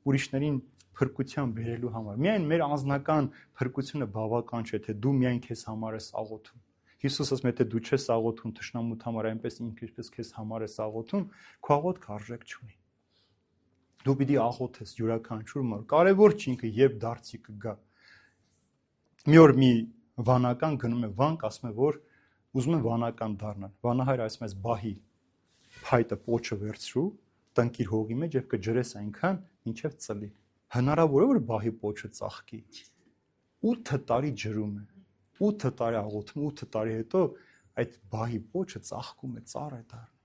ուրիշներին փրկության բերելու համար։ Միայն մեր անձնական փրկությունը բավական չէ, թե դու միայն քեզ համար ես աղոթում։ Հիսուսը ասում է, թե դու չես աղոթում թշնամուդ համար, այնպես ինքը ինչպես քեզ համար ես աղոթում, քո աղոթքը արժեք չունի։ Դու պիտի աղոթես յուրաքանչյուր մար։ Կարևոր չի ինքը երբ դարձի կգա։ Մի օր մի վանական գնում է վանք, ասում է, որ ուզում է վանական դառնալ։ Վանահայրը ասում է, բահի փայտը պոչը վերցրու, տնկիր հողի մեջ եւ կջրես այնքան, ինչեւ ծլի։ Հնարավոր է որ բահի պոչը ծաղկի։ 8 տարի ջրում է։ 8 տարի աղոթում, 8 տարի հետո այդ բահի պոչը ծաղկում է, ծառ է դառնում։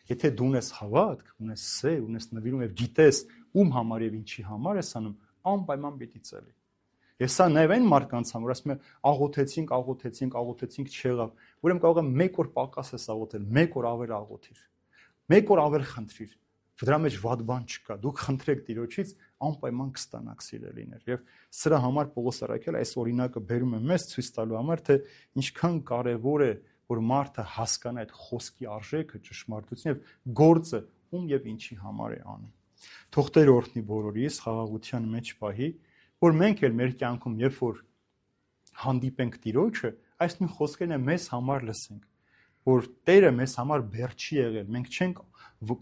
Եթե դու ունես հավատք, ունես սեր, ունես նվիրում եւ գիտես ում համար եւ ինչի համար ես անում, անպայման պիտի ծլի։ Ես սա նաև այն մարդկանց համար, ասում եմ, աղոթեցինք, չեղավ։ Ուրեմն կարող եմ 1 օր պակաս ես աղոթել, 1 օր ավել աղոթիր, 1 օր ավել խնդրիր, Դրա մեջ վատ բան չկա։ Դուք խնդրեք Տիրոջից, անպայման կստանաք սիրելիներ։ Եվ սրա համար Պողոս առաքյալը այս օրինակը բերում է մեզ ցույց տալու համար, թե ինչքան կարևոր է, որ մարդը հասկանա այդ խոսքի արժեքը, ճշմարտությունը եւ գործը ում եւ ինչի համար է անում։ Թող Տերը օրհնի բոլորիս խաղաղության մեջ պահի, որ մենք էլ մեր կյանքում, երբ որ հանդիպենք Տիրոջը, այս նույն խոսքերն մեզ համար լսենք, որ Տերը մեզ համար բեր չի եղել, մենք չենք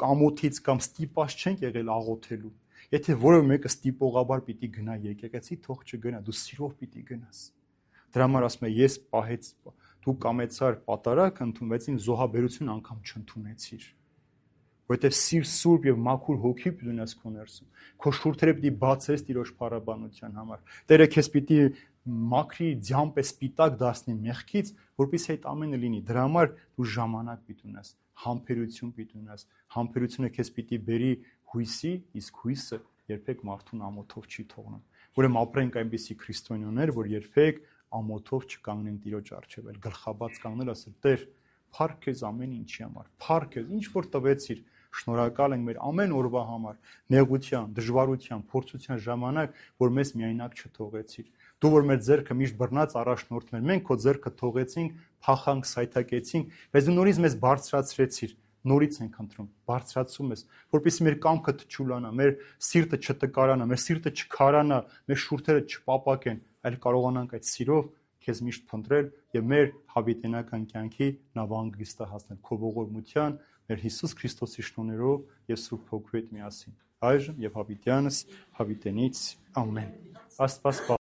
ամոթից կամ ստիպած չենք եղել աղոթելու։ Եթե որևէ մեկը ստիպողաբար պիտի գնա եկեղեցի, թող չգնա, դու սիրով պիտի գնաս։ Դրա համար ասում է, ես պահեց, դու կամեցար պատարակ ընդունվեցին, զոհաբերություն անգամ չընդունեցիր։ Որովհետև սուրբ եւ մաքուր հոգի պիտի ունես քո ներսում։ Քո շուրթերը պիտի բացես Տիրոջ փառաբանության համար։ Տերը քեզ պիտի մաքրի ձյամպ սպիտակ դասնի մեղքից, որպեսզի այդ ամենը լինի։ Դրա համար դու ժամանակ պիտի ունես, համբերություն պիտի ունես։ Համբերությունը քեզ պիտի բերի հույսի, իսկ հույսը երբեք մարդուն ամոթով չի թողնում։ Ուրեմն ապրենք այնպիսի քրիստոնյաներ, որ երբեք ամոթով չկանգնեն Տիրոջ առջև, այլ գլխաբաց կանգնել, ասել Տեր, փառք քեզ ամեն ինչի համար, փառք քեզ, ինչ որ տվեցիր, շնորհակալ ենք մեր ամեն օրվա համար, նեղության, դժվարության, փորձության ժամանակ, որ մեզ միայնակ չթողեցիր։ Դու որ մեր ձեռքը միշտ բռնած առաջնորդներ, մենք քո ձեռքը թողեցինք, փախանք, սայթակեցինք, բայց դու նորից մեզ բարձրացրեցիր, նորից ենք ընտրում, բարձրացում ես, որպեսզի մեր կամքը չուլանա, մեր սիրտը չտկարանա, մեր սիրտը չքարանա, մեր շուրթերը չպապակեն, այլ կարողանանք այդ սիրով քեզ միշտ փնտրել եւ մեր հավիտենական կյանքի նավանգիստը հասնել քո ողորմության, մեր Հիսուս Քրիստոսի շնորհներով եւ Սուրբ Հոգու հետ միասին։ Այժմ եւ հավիտյանս հավիտենից ամեն։ Աստված